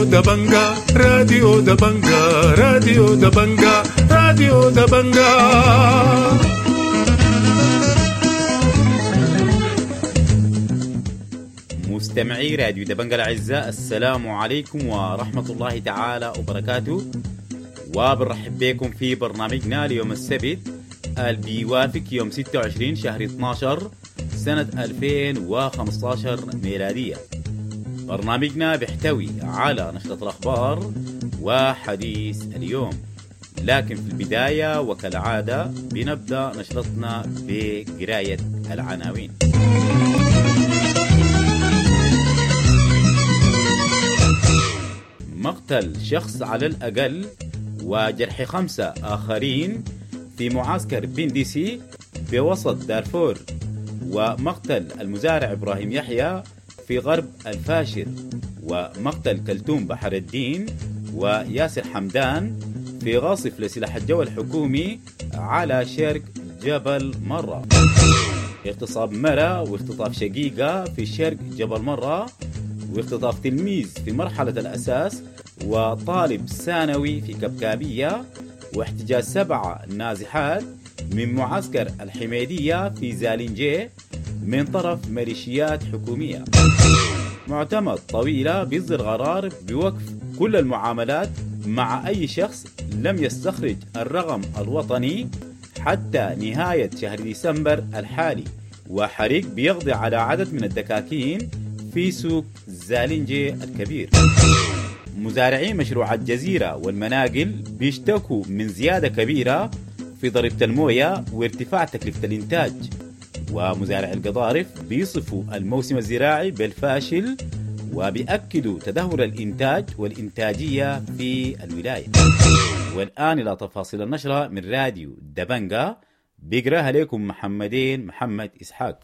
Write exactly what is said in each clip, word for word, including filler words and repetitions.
راديو دبنجا، راديو دبنجا، راديو دبنجا، راديو دبنجا. مستمعي راديو دبنجا الأعزاء، السلام عليكم ورحمة الله تعالى وبركاته، وبنرحب بكم في برنامجنا ليوم السبت اللي بيوافق يوم ستة وعشرين شهر اثناشر سنة ألفين وخمستاشر ميلادية. برنامجنا بيحتوي على نشرة الأخبار وحديث اليوم، لكن في البداية وكالعادة بنبدأ نشرتنا بقراية العناوين. مقتل شخص على الأقل وجرح خمسة آخرين في معسكر بندسي بوسط دارفور، ومقتل المزارع إبراهيم يحيى في غرب الفاشر، ومقتل كلثوم بحر الدين وياسر حمدان في غاصف لسلاح الجو الحكومي على شرق جبل مرة. اغتصاب مرة واختطاف شقيقة في شرق جبل مرة، واختطاف تلميذ في مرحلة الأساس وطالب ثانوي في كبكابية، واحتجاز سبعة نازحات من معسكر الحميدية في زالنجي من طرف ميليشيات حكومية. معتمد طويلة بيصدر قرار بوقف كل المعاملات مع أي شخص لم يستخرج الرقم الوطني حتى نهاية شهر ديسمبر الحالي، وحريق بيقضي على عدد من الدكاكين في سوق زالنجي الكبير. مزارعي مشروع الجزيرة والمناقل بيشتكوا من زيادة كبيرة في ضريبة الموية وارتفاع تكلفة الإنتاج، ومزارع القضارف بيصفوا الموسم الزراعي بالفاشل وبيأكدوا تدهور الإنتاج والإنتاجية في الولاية. والآن إلى تفاصيل النشرة من راديو دبنجا، بيقراها لكم محمدين محمد إسحاق.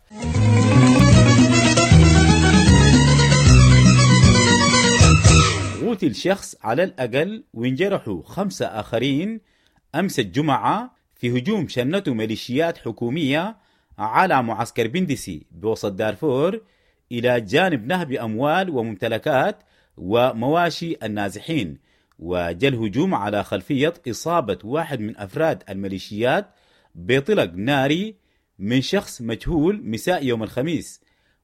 قتل شخص على الأقل وانجرحوا خمسة آخرين أمس الجمعة في هجوم شنته ميليشيات حكومية على معسكر بندسي بوسط دارفور، إلى جانب نهب أموال وممتلكات ومواشي النازحين. وجاء الهجوم على خلفية إصابة واحد من أفراد الميليشيات بطلق ناري من شخص مجهول مساء يوم الخميس.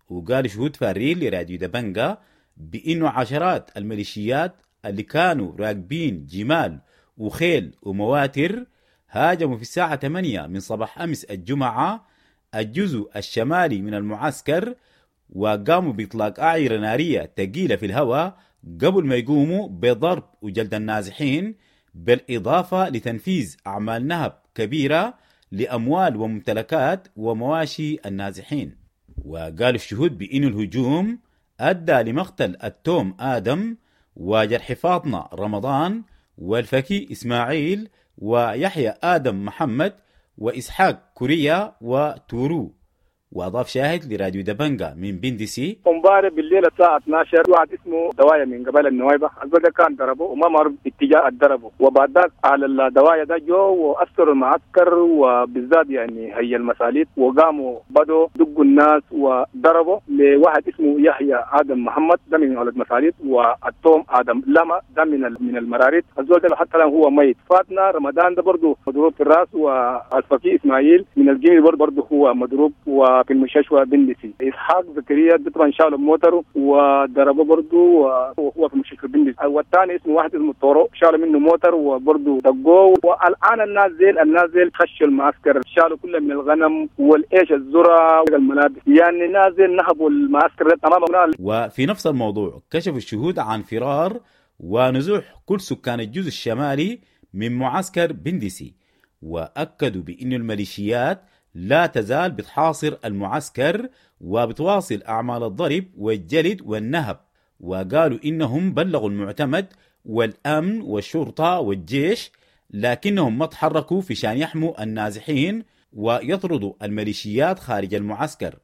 وقال شهود فارين لراديو دبنجا بأنه عشرات الميليشيات اللي كانوا راكبين جمال وخيل ومواتر هاجموا في الساعة ثمانية من صباح أمس الجمعة الجزء الشمالي من المعسكر، وقاموا بإطلاق أعيرة نارية ثقيلة في الهواء قبل ما يقوموا بضرب وجلد النازحين، بالإضافة لتنفيذ أعمال نهب كبيرة لأموال وممتلكات ومواشي النازحين. وقال الشهود بأن الهجوم أدى لمقتل التوم آدم وجرح فاطمة رمضان والفكي إسماعيل ويحيى آدم محمد وإسحاق كوريا وتورو. وأضاف شاهد لراديو دبنجا من بندسي: امبارح بالليل الساعة اثناشر واحد اسمه دوايا من قبل النوايبة الزول ده كان ضربه وما معروف اتجاه ضربه، وبعد ذاك على الدوايا ده جو وأثروا المعسكر وبالذات يعني هي المساليت، وقاموا بدوا دقوا الناس وضربوا لواحد اسمه يحيى آدم محمد ده من ولد مساليت، والتوم آدم لما ده من من المراريت، الزول ده حتى الآن هو ميت. فاتنا رمضان ده برضه مضروب في الراس، والفقيه إسماعيل من الجيل برضه هو مضروب و في المستشفى بندسي. إسحاق زكريا طبعا شالوا موتره وضربه برضه وهو في المستشفى بندسي. والثاني اسمه واحد اسمه طورو شالوا منه موتر وبرضه دقوه. والآن الناس زيل الناس زيل خشوا المعسكر، شالوا كل من الغنم والإيش الذرة والملابس، يعني الناس زيل نهبوا المعسكر تماما. وفي نفس الموضوع كشف الشهود عن فرار ونزوح كل سكان الجزء الشمالي من معسكر بندسي، وأكدوا بأن الميليشيات لا تزال بتحاصر المعسكر وبتواصل أعمال الضرب والجلد والنهب. وقالوا إنهم بلغوا المعتمد والأمن والشرطة والجيش، لكنهم ما تحركوا في شان يحموا النازحين ويطردوا الميليشيات خارج المعسكر.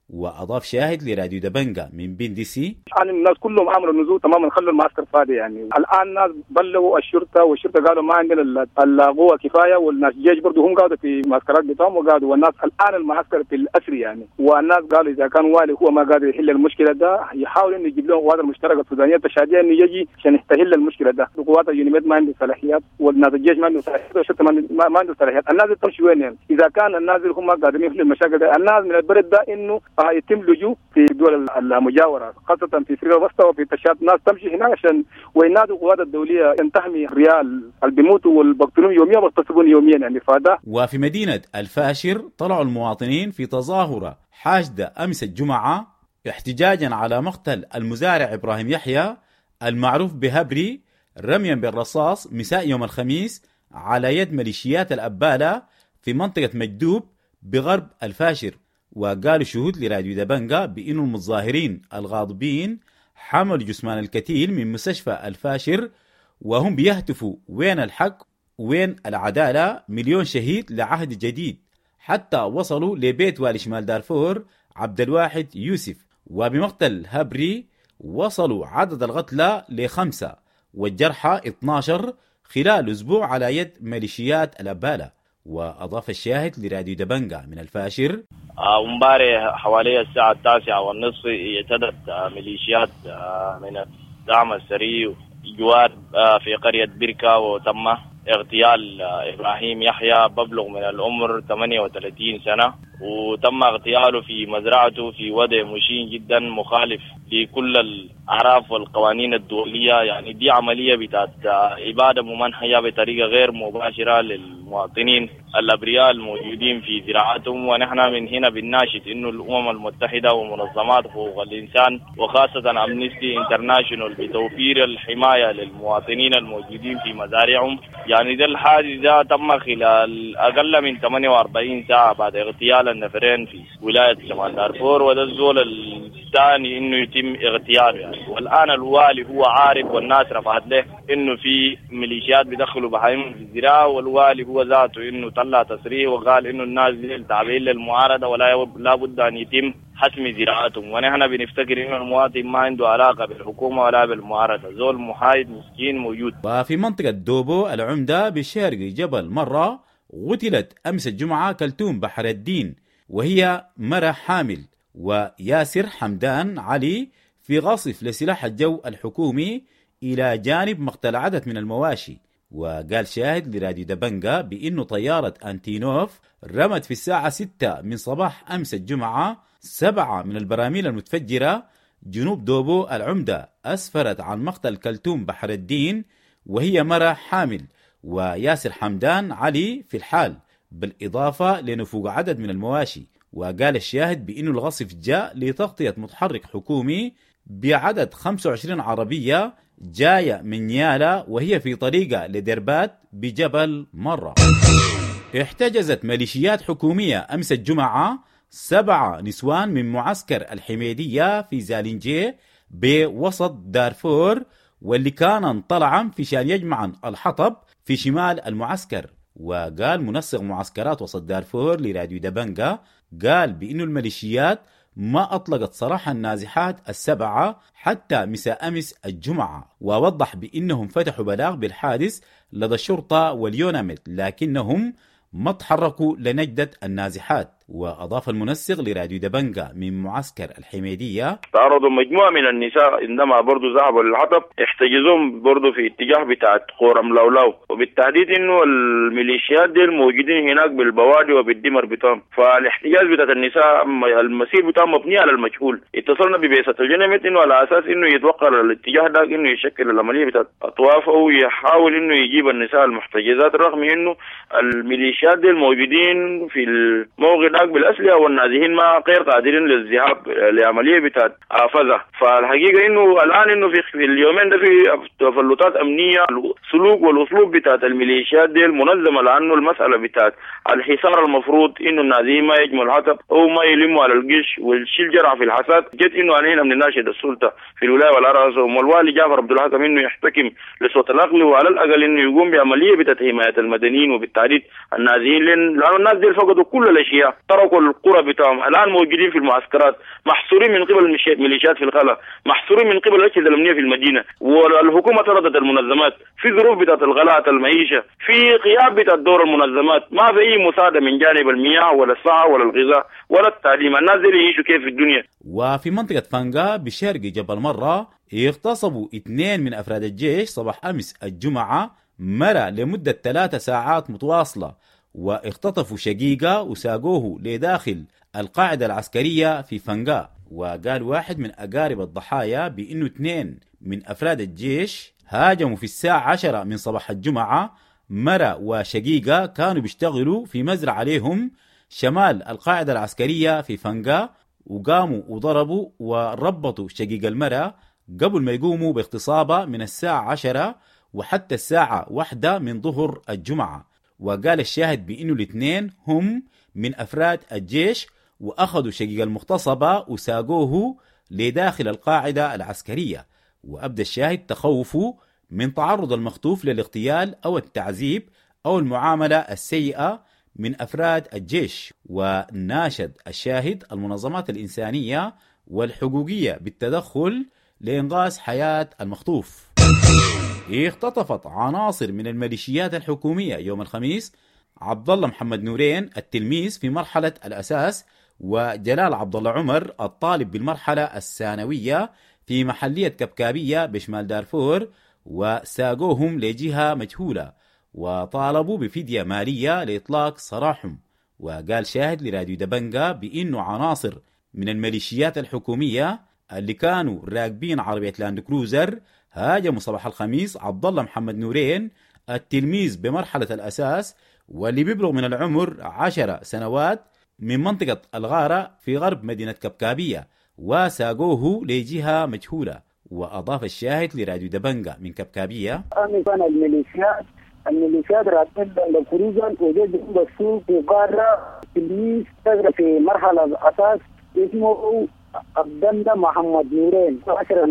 وأضاف شاهد لراديو دبنجا من بندسي: الآن الناس كلهم عملوا نزول تماما، خلوا المعسكر فاضي يعني. الآن الناس بلغوا الشرطة، والشرطة قالوا ما عندنا القوة كفاية، والناس الجيش برضه هم قعدوا في معسكرات بتاعهم وقعدوا، والناس الآن المعسكر في الأسر يعني. والناس قالوا إذا كان والي هو ما قادر يحل المشكلة ده يحاول إنه يجيب لهم قوات المشتركة السودانية التشادية إنه يجي عشان يحل المشكلة ده. القوات اليونيميد ما عنده صلاحيات، والناس الجيش ما عنده صلاحيات، والشرطة ما عنده صلاحيات. الناس تمشي وين يعني؟ إذا كان الناس هم قادرين يحلوا المشاكل ده، الناس من البلد ده إنه يتم لجوء في الدول المجاورة، خاصة في افريقيا الوسطى وفي تشاد. ناس تمشي هناك عشان وينادوا القوات الدولية ان تحمي ريال اللي بيموتوا والبقتلون يوميا وبيغتصبون يوميا يعني. فده. وفي مدينة الفاشر طلعوا المواطنين في تظاهرة حاشدة أمس الجمعة احتجاجا على مقتل المزارع إبراهيم يحيى المعروف بهبري رميا بالرصاص مساء يوم الخميس على يد ميليشيات الأبالة في منطقة مجدوب بغرب الفاشر. وقالوا شهود لراديو دبنجا بأن المتظاهرين الغاضبين حملوا جثمان الكتيل من مستشفى الفاشر وهم بيهتفوا وين الحق وين العدالة، مليون شهيد لعهد جديد، حتى وصلوا لبيت والي شمال دارفور عبد الواحد يوسف. وبمقتل هبري وصلوا عدد القتلى لخمسة والجرحى اثنا عشر خلال أسبوع على يد ميليشيات الأبالة. وأضاف الشاهد لراديو دبنجا من الفاشر: امبارح حوالي الساعة التاسعة والنصف اعتدت ميليشيات من الدعم السريع جوار في قرية بركة، وتم اغتيال إبراهيم يحيى ببلغ من العمر ثمانية وثلاثين سنة، وتم اغتياله في مزرعته في وضع مشين جدا مخالف لكل الأعراف والقوانين الدولية. يعني دي عملية بتاعت إبادة ممنهجة بطريقة غير مباشرة للمواطنين الأبرياء الموجودين في زراعتهم. ونحن من هنا بنناشد إنه الأمم المتحدة ومنظمات حقوق الإنسان وخاصة أمنستي انترناشونال بتوفير الحماية للمواطنين الموجودين في مزارعهم. يعني ده الحادث ده تم خلال أقل من ثمانية وأربعين ساعة بعد اغتيال النفرين في ولاية شمال دارفور، وده الزول الثاني إنه يتم اغتياله يعني. والآن الوالي هو عارف، والناس رفعت له إنه في ميليشيات بيدخلوا بهايم في الزراعة، والوالي هو ذاته إنه طلع تصريح وقال إنه الناس دي تابعين للمعارضة ولا لابد أن يتم حسم زراعتهم. ونحن بنفتكر إنه المواطن ما عنده علاقة بالحكومة ولا بالمعارضة، زول محايد مسكين موجود. وفي منطقة دوبو العمدة بشرق جبل مرة قتلت أمس الجمعة كلثوم بحر الدين وهي مرة حامل، وياسر حمدان علي في غاصف لسلاح الجو الحكومي إلى جانب مقتل عدد من المواشي. وقال شاهد لراديو دبنجا بأنه طيارة أنتينوف رمت في الساعة ستة من صباح أمس الجمعة سبعة من البراميل المتفجرة جنوب دوبو العمدة أسفرت عن مقتل كلثوم بحر الدين وهي مرة حامل، وياسر حمدان علي في الحال، بالإضافة لنفوق عدد من المواشي. وقال الشاهد بأنه الغصف جاء لتغطية متحرك حكومي بعدد خمسة وعشرين عربية جاية من نيالا وهي في طريقة لدربات بجبل مرة. احتجزت ميليشيات حكومية أمس الجمعة سبعة نسوان من معسكر الحميدية في زالنجي بوسط دارفور، واللي كان طلعا في شان يجمعا الحطب في شمال المعسكر. وقال منسق معسكرات وسط دارفور لراديو دبنجا، قال بأنه الميليشيات ما أطلقت سراح النازحات السبعة حتى مساء أمس الجمعة، ووضح بأنهم فتحوا بلاغ بالحادث لدى الشرطة واليوناميد لكنهم ما تحركوا لنجدة النازحات. وأضاف المنسق لراديو دبنجا من معسكر الحميدية: تعرضوا مجموعة من النساء عندما برضو ذهبوا للحطب، احتجزوهم برضو في اتجاه بتاعت قورم لولاو، وبالتحديد انه الميليشيات دي الموجودين هناك بالبوادي وبالدمر بتاعهم، فالاحتجاز بتاعت النساء المسير بتاعهم مبني على المجهول. اتصلنا ببعثة الجنمت انه على اساس انه يتوقع الاتجاه ده انه يشكل العملية بتاعت اطواف او يحاول انه يجيب النساء المحتجزات، رغم انه الميليشيات دي الموجودين في الموقع بالأسلحة والنازحين ما غير قادرين للذهاب لعملية بتاعت فزة. فالحقيقة إنه الآن إنه في اليومين ده في تفلتات أمنية، السلوك والأسلوب بتاعت الميليشيات دي المنظمة، لأنه المسألة بتاعت الحصار المفروض إنه النازحين ما يجمعوا الحطب أو ما يلموا على الجيش والشيل جرع في الحساد. جت إنه علينا من ناشد السلطة في الولاية والأرأس والوالي جعفر عبد الحكم إنه يحتكم لصوت العقل، وعلى الأقل إنه يقوم بعملية بتاعت حماية المدنيين وبالتحديد النازحين، لأن الناس دي فقدوا كل الأشياء. تركوا القرى بتاعهم، الآن موجودين في المعسكرات، محصورين من قبل الميليشيات في الخلا، محصورين من قبل الأجهزة الأمنية في المدينة، والحكومة طردت المنظمات في ظروف بتاعت الغلاء المعيشة، في غياب بتاع دور المنظمات، ما في أي مساعدة من جانب المياه ولا الصحة ولا الغذاء ولا التعليم، الناس دي يعيشوا كيف في الدنيا. وفي منطقة فانقا بشرق جبل مرة اغتصبوا اثنين من أفراد الجيش صباح أمس الجمعة مرة لمدة ثلاثة ساعات متواصلة، واختطفوا شقيقة وساقوه لداخل القاعدة العسكرية في فنقا. وقال واحد من أقارب الضحايا بأنه اثنين من أفراد الجيش هاجموا في الساعة عشرة من صباح الجمعة مرة وشقيقة كانوا بيشتغلوا في مزرعة عليهم شمال القاعدة العسكرية في فنقا، وقاموا وضربوا وربطوا شقيق المرأة قبل ما يقوموا باغتصابها من الساعة عشرة وحتى الساعة واحدة من ظهر الجمعة. وقال الشاهد بأنه الاثنين هم من أفراد الجيش وأخذوا شقيق المغتصبة وساقوه لداخل القاعدة العسكرية. وأبدى الشاهد تخوفه من تعرض المخطوف للاغتيال أو التعذيب أو المعاملة السيئة من أفراد الجيش. وناشد الشاهد المنظمات الإنسانية والحقوقية بالتدخل لإنقاذ حياة المخطوف. اختطفت عناصر من الميليشيات الحكومية يوم الخميس عبد الله محمد نورين التلميذ في مرحلة الأساس وجلال عبد الله عمر الطالب بالمرحلة الثانوية في محلية كبكابية بشمال دارفور، وساقوهم لجهة مجهولة وطالبوا بفدية مالية لإطلاق سراحهم. وقال شاهد لراديو دبنجا بأنه عناصر من الميليشيات الحكومية اللي كانوا راكبين عربية لاند كروزر هاجموا صباح الخميس عبد الله محمد نورين التلميذ بمرحلة الأساس واللي بيبلغ من العمر عشر سنوات من منطقة الغارة في غرب مدينة كبكابية، وساقوه لجهة مجهولة. وأضاف الشاهد لراديو دبنجا من كبكابية: أنا الميليشيات الميليشيات راكبين لاند كروزر وجدوا السوق في قارة تلميذ في مرحلة الأساس اسمه عبد الله محمد نورين عشرة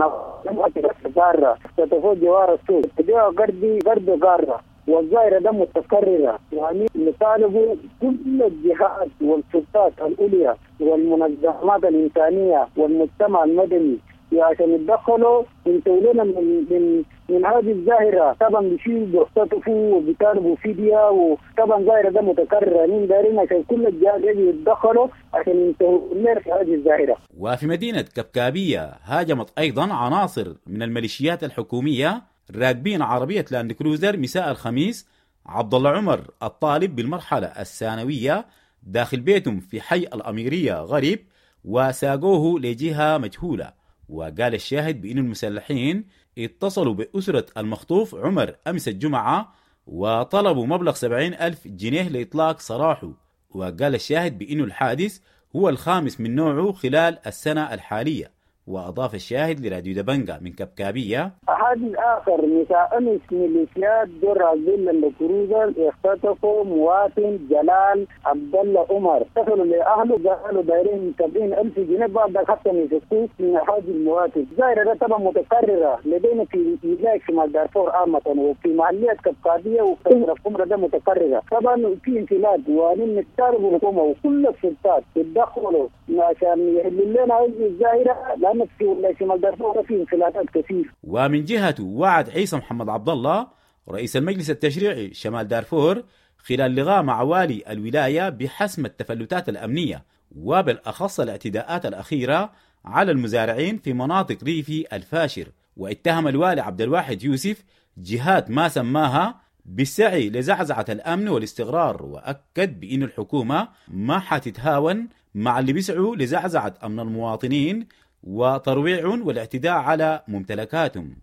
قارة اختطفوا جوار السوق جو قردي قرد قارة، والظاهرة ده متكررة. يعني نطالبوا كل الجهات والسلطات العليا والمنظمات الإنسانية والمجتمع المدني عشان يتدخلوا ينتهوا لنا من من من هذه الظاهرة. طبعا بيشيلوا بيختطفوا وبيطالبوا فدية، وطبعا ظاهرة ده متكررة، مين دارين عشان كل الجهات يتدخلوا عشان ينتهوا لنا في هذه الظاهرة. وفي مدينة كبكابية هاجمت أيضا عناصر من الميليشيات الحكومية راكبين عربية لاند كروزر مساء الخميس عبد الله عمر الطالب بالمرحلة الثانوية داخل بيتهم في حي الأميرية غريب، وساقوه لجهة مجهولة. وقال الشاهد بأن المسلحين اتصلوا بأسرة المخطوف عمر أمس الجمعة وطلبوا مبلغ سبعين ألف جنيه لإطلاق سراحه. وقال الشاهد بأن الحادث هو الخامس من نوعه خلال السنة الحالية. وأضاف الشاهد لراديو دبنجا من كبكابية: حادث آخر مساء أمس ميليشيات در لاند كروزر اختطفوا مواطن جلال عبد الله عمر، اتصلوا لأهله قالوا دايرين سبعين ألف جنيه بعد حتى يفكوه من هذا المواطن. الظاهرة ده طبعا متكررة لدينا في ولاية شمال دارفور عامة وفي محلية كبكابية وفي القمرة ده متكررة. طبعا في انفلات، ونطالب الحكومة وكل السلطات يتدخلوا عشان يحلوا لنا هذه الظاهرة، لأن في شمال دارفور في انفلاتات كثير. ومن جهته وعد عيسى محمد عبد الله رئيس المجلس التشريعي شمال دارفور خلال لقاء مع والي الولاية بحسم التفلتات الأمنية وبالأخص الاعتداءات الأخيرة على المزارعين في مناطق ريفي الفاشر. واتهم الوالي عبد الواحد يوسف جهات ما سماها بالسعي لزعزعة الأمن والاستقرار، وأكد بأن الحكومة ما حتتهاون مع اللي بيسعوا لزعزعة أمن المواطنين وترويعهم والاعتداء على ممتلكاتهم.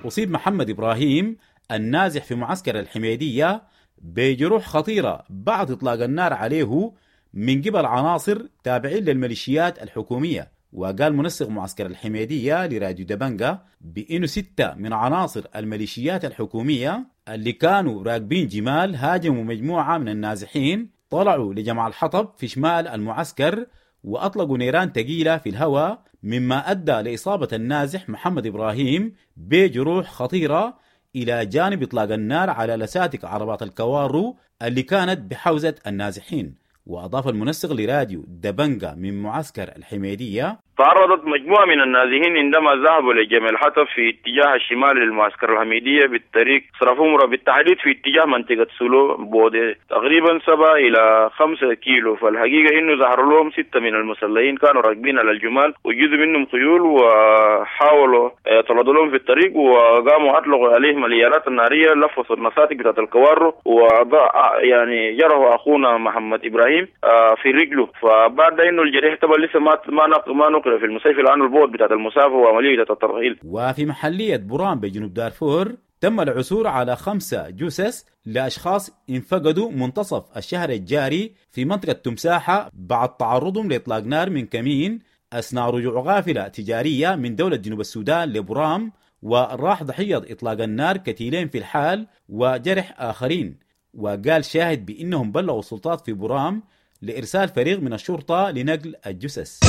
أصيب محمد إبراهيم النازح في معسكر الحميدية بجروح خطيرة بعد إطلاق النار عليه من قبل عناصر تابعين للميليشيات الحكومية. وقال منسق معسكر الحميدية لراديو دبنجا بأنه ستة من عناصر الميليشيات الحكومية اللي كانوا راكبين جمال هاجموا مجموعة من النازحين طلعوا لجمع الحطب في شمال المعسكر وأطلقوا نيران ثقيلة في الهواء، مما أدى لإصابة النازح محمد إبراهيم بجروح خطيرة، إلى جانب إطلاق النار على لساتك عربات الكوارو اللي كانت بحوزة النازحين. وأضاف المنسق لراديو دبنجا من معسكر الحميدية: تعرضت مجموعة من النازحين عندما ذهبوا لجمع الحطب في اتجاه الشمال للمعسكر الحميدية بالطريق صرفومرة، بالتحديد في اتجاه منطقة سلو بعد تقريبا سبعة إلى خمسة كيلو. فالحقيقة إنه ظهر لهم ستة من المسلحين كانوا راكبين على الجمال وجزء منهم خيول، وحاولوا طردوا لهم في الطريق وقاموا أطلقوا عليهم الإيالات النارية، لفظوا المساتك بتاعت الكوارو وضع يعني جرحوا أخونا محمد إبراهيم في رجله. فبعد إنه الجريح طبعا لسه ما ما ما نقل في المستشفى لأنه البعد بتاعت المسافة وعملية الترحيل. وفي محلية برام بجنوب دارفور تم العثور على خمسة جثث لأشخاص انفقدوا منتصف الشهر الجاري في منطقة تمساحة بعد تعرضهم لإطلاق نار من كمين أثناء رجوع غافلة تجارية من دولة جنوب السودان لبرام، وراح ضحية إطلاق النار كتيلين في الحال وجرح آخرين. وقال شاهد بأنهم بلغوا السلطات في برام لإرسال فريق من الشرطة لنقل الجثث.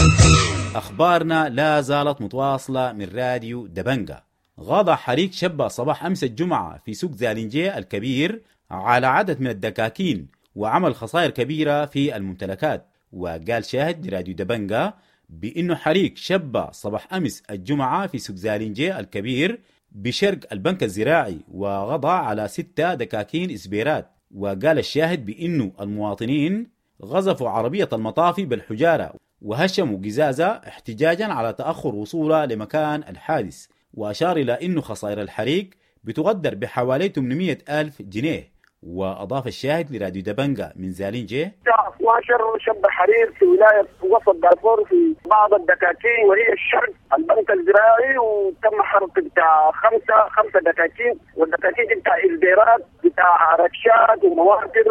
أخبارنا لا زالت متواصلة من راديو دبنجا. غاض حريق شبه صباح أمس الجمعة في سوق زالنجي الكبير على عدد من الدكاكين وعمل خسائر كبيرة في الممتلكات. وقال شاهد راديو دبنجا بأنه حريق شبه صباح أمس الجمعة في سوق زالنجي الكبير بشرق البنك الزراعي وغضى على ستة دكاكين إسبيرات. وقال الشاهد بأنه المواطنين غزفوا عربية المطافي بالحجارة وهشموا قزازة احتجاجا على تأخر وصولها لمكان الحادث. وأشار إلى أنه خسائر الحريق بتقدر بحوالي ثمانمئة ألف جنيه. وأضاف الشاهد لراديو دبنجا من زالينجي: اثناشر شب حريق في ولاية وسط دارفور في بعض الدكاكين وهي الشرق البنك الزراعي، وتم حرق بتاع خمسة خمسة دكاكين، والدكاكين دي بتاع إزديرات بتاع ركشات ومواكر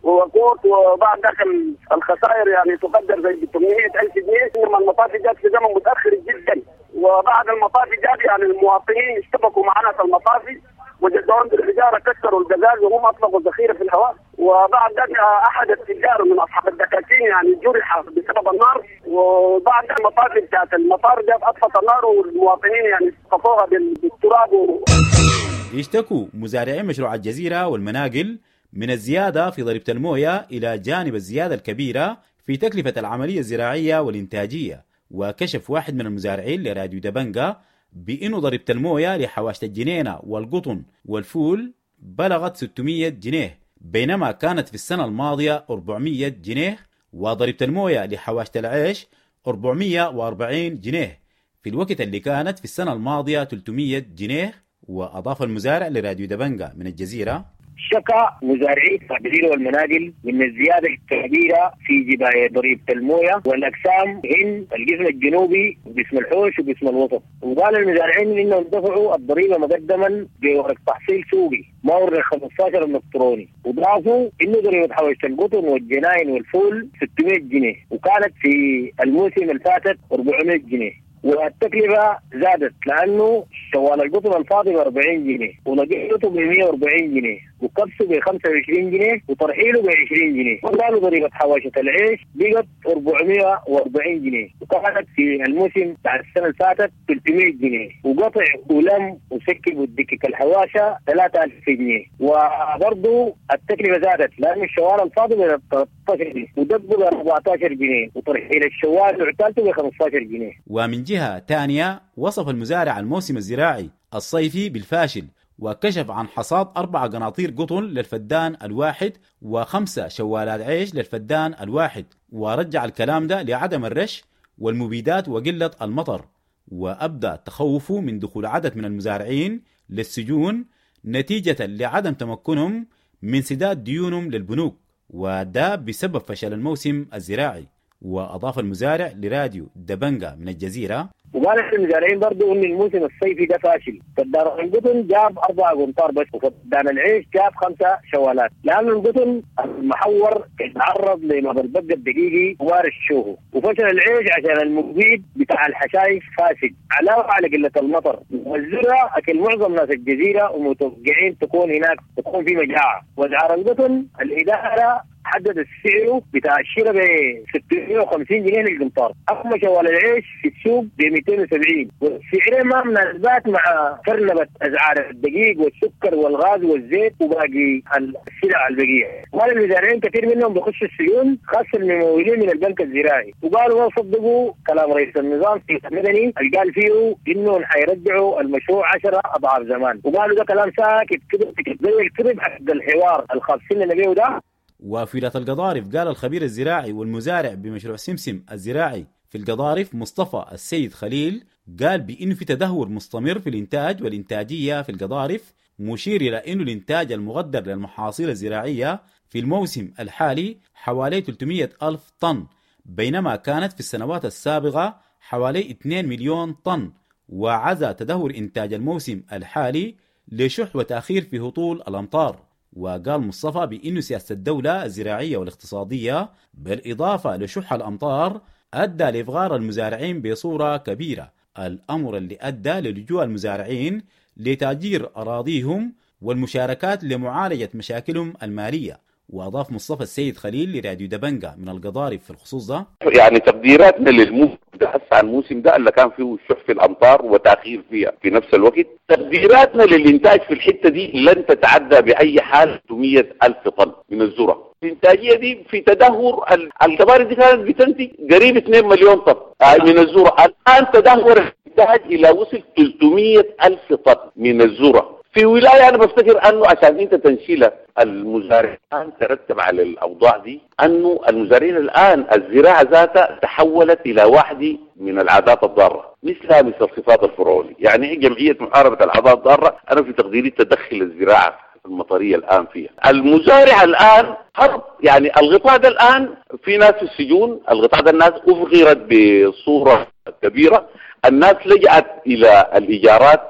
ووقود، وبعد ذاك الخسائر يعني تقدر زي ثمانمئة ألف جنيه. إنما المطافي جات في زمن متأخر جدا، وبعد المطافي جات يعني المواطنين اشتبكوا معنا في المطافي وجدعون بالحجارة كسروا القزاز وهم أطلقوا الذخيرة في الهواء. وبعد ذلك أحد التجار من أصحاب الدكاكين يعني جرح بسبب النار، وبعد المطافي بتاعت المطار جاب أطفت النار والمواطنين يعني طفوها بالتراب و... يشتكوا مزارعين مشروع الجزيرة والمناقل من الزيادة في ضريبة الموية إلى جانب الزيادة الكبيرة في تكلفة العملية الزراعية والإنتاجية. وكشف واحد من المزارعين لراديو دبنجا بأنه ضريبة الموية لحواشة الجنينة والقطن والفول بلغت ستمئة جنيه بينما كانت في السنة الماضية أربعمئة جنيه، وضريبة الموية لحواشة العيش أربعمئة وأربعين جنيه في الوقت اللي كانت في السنة الماضية ثلاثمئة جنيه. وأضاف المزارع لراديو دبنجا من الجزيرة: شكى مزارعي الجزيرة والمناقل من الزيادة الكبيرة في جباية ضريبة الموية والأقسام هن القسم الجنوبي وقسم الحوش وقسم الوسط. وقال المزارعين إنهم دفعوا الضريبة مقدما بورق تحصيل سوقي ما ورق خمسة عشر الإلكتروني، وضافوا إنه ضريبة حواشة القطن والجناين والفول ستمئة جنيه وكانت في الموسم الفاتت أربعمئة جنيه. والتكلفة زادت لأنه شوال القطن الفاضي ب أربعين جنيه ونقيته ب مئة وأربعين جنيه وكبسه ب خمسة وعشرين جنيه وترحيله ب عشرين جنيه. وقالوا ضريبة حواشة العيش بقت أربعمئة وأربعين جنيه وكانت في الموسم بتاع السنة اللي فاتت ثلاثمئة جنيه، وقطع ولم وسكب والدكك الحواشة ثلاثة ألف جنيه. وبرضه التكلفة زادت لأن الشوال الفاضي ب ثلاثة عشر جنيه ودقه ب أربعة عشر جنيه وترحيل الشوال وعتالته ب خمسة عشر جنيه. ومن جهة ثانية وصف المزارع الموسم الزراعي الصيفي بالفاشل، وكشف عن حصاد أربع قناطير قطن للفدان الواحد وخمسة شوالات عيش للفدان الواحد، ورجع الكلام ده لعدم الرش والمبيدات وقلة المطر. وأبدى تخوفه من دخول عدد من المزارعين للسجون نتيجة لعدم تمكنهم من سداد ديونهم للبنوك، وده بسبب فشل الموسم الزراعي. وأضاف المزارع لراديو دبنجا من الجزيرة: وقال المزارعين برضو ان الموسم الصيفي ده فاشل، فدان القطن جاب أربعة قنطار بس وفدان العيش جاب خمسة شوالات، لأن القطن المحور تعرض لمرض البق الدقيقي وارش شوه، وفشل العيش عشان المبيد بتاع الحشائش فاسد، علاوة على قلة المطر والذرة أكل معظم ناس الجزيرة ومتوقعين تكون هناك تكون في مجاعة. وأسعار القطن الإدارة حدد سعره بتاع الشراء ب ستمية وخمسين جنيه للقنطار، اما شوال العيش في السوق ب مئتين وسبعين، والسعرين ما مناسبات مع فرنبه اسعار الدقيق والسكر والغاز والزيت وباقي السلع البقية. قال المزارعين كثير منهم بيخشوا السجون، خاصة الممولين من البنك الزراعي، وقالوا ما صدقوا كلام رئيس النظام في المدني اللي قال فيه انه حيرجعوا المشروع عشرة اضعاف زمان، وقالوا ده كلام ساكت كده زي الكذب حق الحوار الخاصين اللي بيه ده. وفي ولاية القضارف قال الخبير الزراعي والمزارع بمشروع سمسم الزراعي في القضارف مصطفى السيد خليل، قال بأنه في تدهور مستمر في الإنتاج والإنتاجية في القضارف، مشير إلى أنه الإنتاج المقدر للمحاصيل الزراعية في الموسم الحالي حوالي ثلاثمية ألف طن، بينما كانت في السنوات السابقة حوالي اثنين مليون طن، وعزى تدهور إنتاج الموسم الحالي لشح وتأخير في هطول الأمطار. وقال مصطفى بأن سياسة الدولة الزراعية والاقتصادية بالإضافة لشح الأمطار أدى لإفغار المزارعين بصورة كبيرة، الأمر اللي أدى للجوء المزارعين لتأجير أراضيهم والمشاركات لمعالجة مشاكلهم المالية. وأضاف مصطفى السيد خليل لراديو دبنجة من القضارف في الخصوص ده: يعني تقديراتنا للموسم ده هسه الموسم ده اللي كان فيه شح في الأمطار وتأخير فيها في نفس الوقت، تقديراتنا للإنتاج في الحتة دي لن تتعدى بأي حال ستمية ألف طن من الذرة. الإنتاجية دي في تدهور، الكباري دي كانت بتنتج قريب اثنين مليون طن من الذرة، الآن تدهور الإنتاج إلى وصل ثلاثمية ألف طن من الذرة. في ولاية أنا بفتكر أنه عشان أنت تنشيلها المزارعين ترتب على الأوضاع دي أنه المزارعين الآن الزراعة ذاتها تحولت إلى واحدة من العادات الضارة مثلها مثل الصفات الفرعونية. يعني جمعية محاربة العادات الضارة أنا في تقديري تدخل الزراعة المطرية الآن فيها. المزارع الآن هرب، يعني الغطاء ده الآن في ناس في السجون، الغطاء ده الناس أفغرت بصورة كبيرة، الناس لجأت إلى الإيجارات،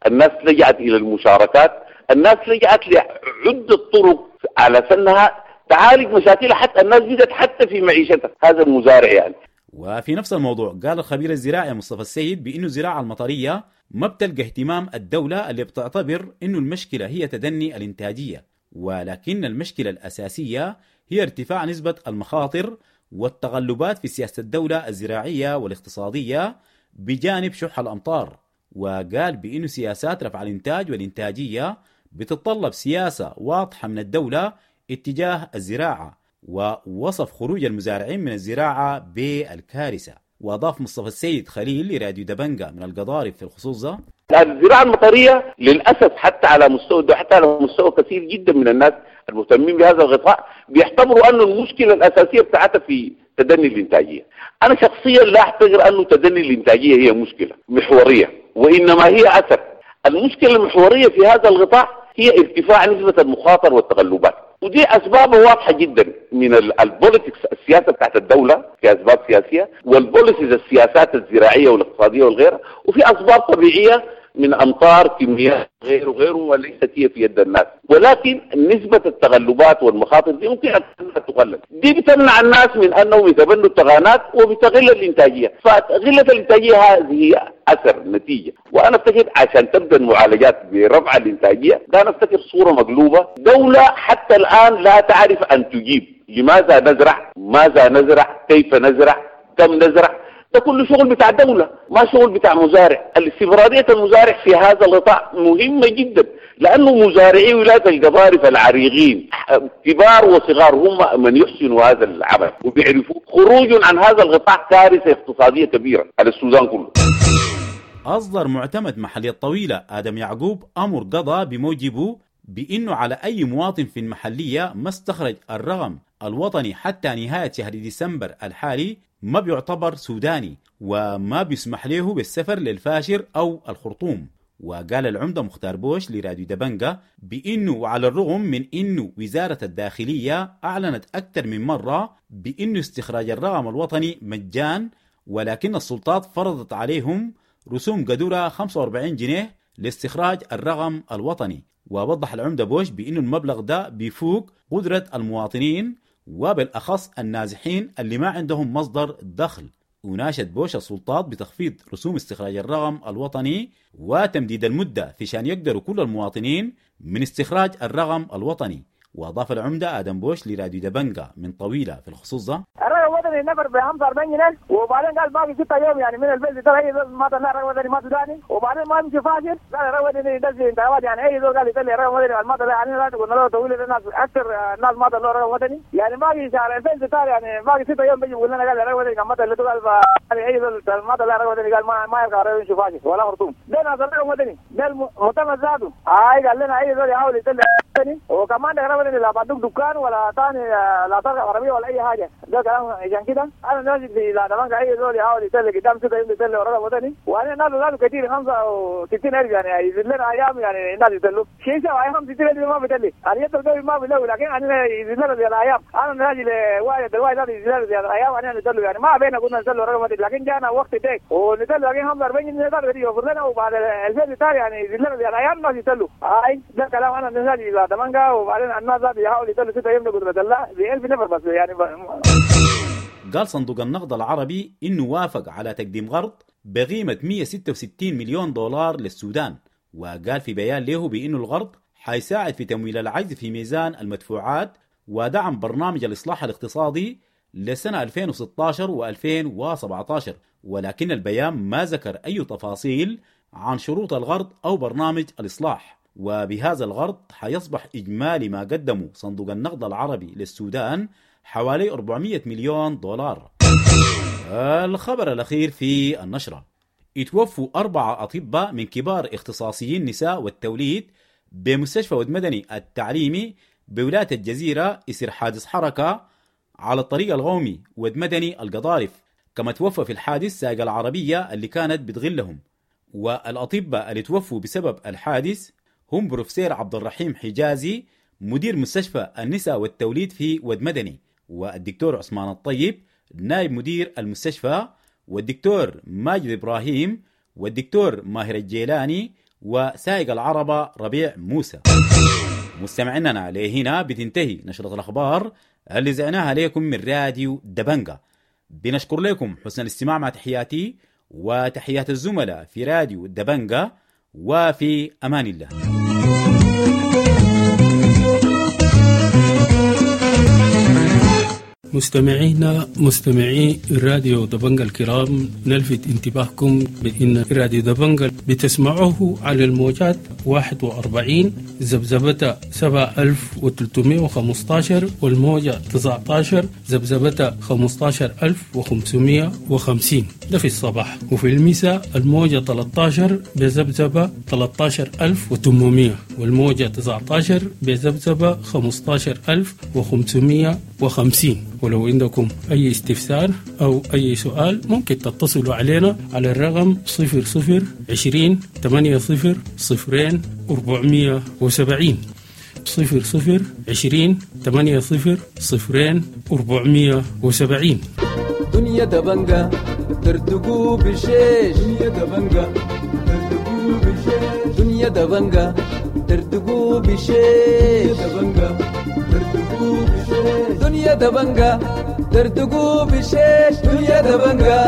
الناس لجأت إلى المشاركات، الناس لجأت لعدة طرق على سنها تعالج مشاكلها، حتى الناس بدأت حتى في معيشتها هذا المزارع يعني. وفي نفس الموضوع قال الخبير الزراعي مصطفى السيد بأنه الزراعة المطرية ما بتلقى اهتمام الدولة اللي بتعتبر أنه المشكلة هي تدني الإنتاجية، ولكن المشكلة الأساسية هي ارتفاع نسبة المخاطر والتغلبات في سياسة الدولة الزراعية والاقتصادية بجانب شح الأمطار. وقال بأنه سياسات رفع الإنتاج والإنتاجية بتتطلب سياسة واضحة من الدولة اتجاه الزراعة، ووصف خروج المزارعين من الزراعة بالكارثة. وأضاف مصطفى السيد خليل لراديو دبنجة من القضارف في الخصوص ده: الزراعة المطرية للأسف حتى على مستوى حتى على مستوى كثير جدا من الناس المهتمين بهذا الغطاء بيعتبروا أن المشكلة الأساسية بتاعتها في تدني الإنتاجية. أنا شخصيا لا أعتبر أنه تدني الإنتاجية هي مشكلة محورية، وإنما هي أثر. المشكلة المحورية في هذا الغطاء هي ارتفاع نسبة المخاطر والتغلبات، ودي أسبابها واضحة جدا من ال politics، السياسة بتاعت الدولة في أسباب سياسية، وال policies السياسات الزراعية والاقتصادية والغيرها، وفي أسباب طبيعية من أمطار كميات غيره وغيره وليست هي في يد الناس. ولكن نسبة التغلبات والمخاطر دي ممكن أن تقلل، دي بتمنع الناس من أنهم يتبنوا التغانات وبتغل الإنتاجية، فغلة الإنتاجية هذه أثر نتيجة. وأنا أفتكر عشان تبدأ المعالجات برفع الإنتاجية ده أنا أفتكر صورة مقلوبة. دولة حتى الآن لا تعرف أن تجيب لماذا نزرع، ماذا نزرع، كيف نزرع، كم نزرع، ده كله شغل بتاع دولة ما شغل بتاع مزارع. الاستمرارية المزارع في هذا القطاع مهمة جدا، لأنه مزارعي ولاية القضارف العريقين كبار وصغار هم من يحسنوا هذا العمل وبيعرفوا. خروج عن هذا القطاع كارثة اقتصادية كبيرة على السودان كله. أصدر معتمد محلية الطويلة آدم يعقوب أمر قضاء بموجبه بأنه على أي مواطن في المحلية ما استخرج الرقم الوطني حتى نهاية شهر ديسمبر الحالي ما بيعتبر سوداني وما بيسمح له بالسفر للفاشر أو الخرطوم. وقال العمدة مختار بوش لراديو دبنجة بأنه وعلى الرغم من أنه وزارة الداخلية أعلنت أكثر من مرة بأنه استخراج الرقم الوطني مجان، ولكن السلطات فرضت عليهم رسوم قدرها خمسة وأربعين جنيه لاستخراج الرقم الوطني. ووضح العمدة بوش بأنه المبلغ ده بيفوق قدرة المواطنين وبالأخص النازحين اللي ما عندهم مصدر دخل. وناشد بوش السلطات بتخفيض رسوم استخراج الرقم الوطني وتمديد المدة في شان يقدروا كل المواطنين من استخراج الرقم الوطني. وأضاف العمدة آدم بوش لراديو دبنجا من طويلة في الخصوص ده: الرقم الوطني نفر ب خمسة وأربعين جنيه، وبعدين قال باقي ستة يوم يعني من البيت ترى اي ما طلع رقم وطني ما سوداني، وبعدين ما يمشي فاشل قال الرقم الوطني يدز انتخابات، يعني اي زول قال يطلع رقم وطني ما طلع، يعني لا قلنا له طويل الناس اكثر الناس ما طلعوا رقم وطني، يعني باقي شهر ألفين وستة يعني باقي ستة يوم بيجي بيقول لنا قال الرقم الوطني كان ما طلع قال يعني اي زول ما طلع رقم وطني قال ما ما يرجع يمشي فاشل ولا خرطوم. ده ناس الرقم الوطني ده المؤتمر ذاته هاي قال لنا اي زول يحاول يطلع وطني، وكمان ده رقم وطني لا بدوك دكان ولا ثاني لا تركب عربيه ولا اي حاجه، ده كلام. عشان كده انا نازل في لا دبنجا اي زول يحاول يسلك قدام ستة يوم يسلك ورقم وطني، وانا الناس ذاته كثير خمسة وستين ألف يعني يزيد لنا ايام يعني الناس يسلوا شيء سوى خمسة وستين ألف ما بتلي انا يطلع ما بلو، لكن انا يزيد لنا زيادة ايام، انا نازل واحد الواحد ذاته يزيد لنا زيادة ايام انا نسلوا يعني ما بينا قلنا نسلوا رقم وطني، لكن جانا وقت ديك ونسلوا لكن خمسة وأربعين جنيه ذاته يوفر لنا، وبعد ألفين ستة يعني يزيد لنا زيادة ايام الناس يسلوا. هاي ده كلام انا نازل لا دبنجا، وبعدين الناس ذاته يحاول يسلوا ستة يوم قدرة الله ب ألف نفر بس يعني ب... قال صندوق النقد العربي إنه وافق على تقديم قرض بقيمة مئة وستة وستين مليون دولار للسودان، وقال في بيان له بأنه القرض حيساعد في تمويل العجز في ميزان المدفوعات ودعم برنامج الإصلاح الاقتصادي لسنة ألفين وستة عشر وألفين وسبعة عشر، ولكن البيان ما ذكر أي تفاصيل عن شروط القرض أو برنامج الإصلاح. وبهذا القرض حيصبح إجمالي ما قدمه صندوق النقد العربي للسودان حوالي أربعمئة مليون دولار. الخبر الأخير في النشرة: اتوفوا أربعة أطباء من كبار اختصاصيين نساء والتوليد بمستشفى ود مدني التعليمي بولاية الجزيرة إثر حادث حركة على الطريق القومي ود مدني القضارف، كما توفى في الحادث سائق العربية اللي كانت بتغلهم. والأطباء اللي توفوا بسبب الحادث هم بروفيسور عبد الرحيم حجازي مدير مستشفى النساء والتوليد في ود مدني، والدكتور عثمان الطيب نائب مدير المستشفى، والدكتور ماجد إبراهيم، والدكتور ماهر الجيلاني، وسائق العربة ربيع موسى. مستمعينا لهنا بتنتهي نشرة الأخبار اللي زعناها لكم من راديو دبنجا. بنشكر لكم حسن الاستماع، مع تحياتي وتحيات الزملاء في راديو دبنجا، وفي أمان الله. مستمعينا مستمعي راديو دبنجا الكرام، نلفت انتباهكم بأن راديو دبنجا بتسمعوه على الموجات واحد وأربعين ذبذبة سبعة ألف وثلاثمائة وخمسة عشر والموجة تسعة عشر ذبذبة خمسة عشر ألف وخمسمائة وخمسين، ده في الصباح، وفي المساء الموجة ثلاثة عشر بذبذبة ثلاثة عشر ألف وثمانمائة والموجة تسعة عشر بذبذبة خمسة عشر ألف وخمسمائة وخمسين. ولو عندكم أي استفسار أو أي سؤال ممكن تتصلوا علينا على الرقم صفر صفر عشرين ثمانية صفر صفرين أربعمية وسبعين، صفر صفر عشرين ثمانية صفر صفرين أربعمية وسبعين. دنيا دبنجا ترتقو بشيش، دنيا دبنجا ترتقو بشيش، دنيا دبنجا ترتقو بشيش، دبنجا ترتقو بشيش، دنيا دبنجا ترتقو بشيش، دنيا دبنجا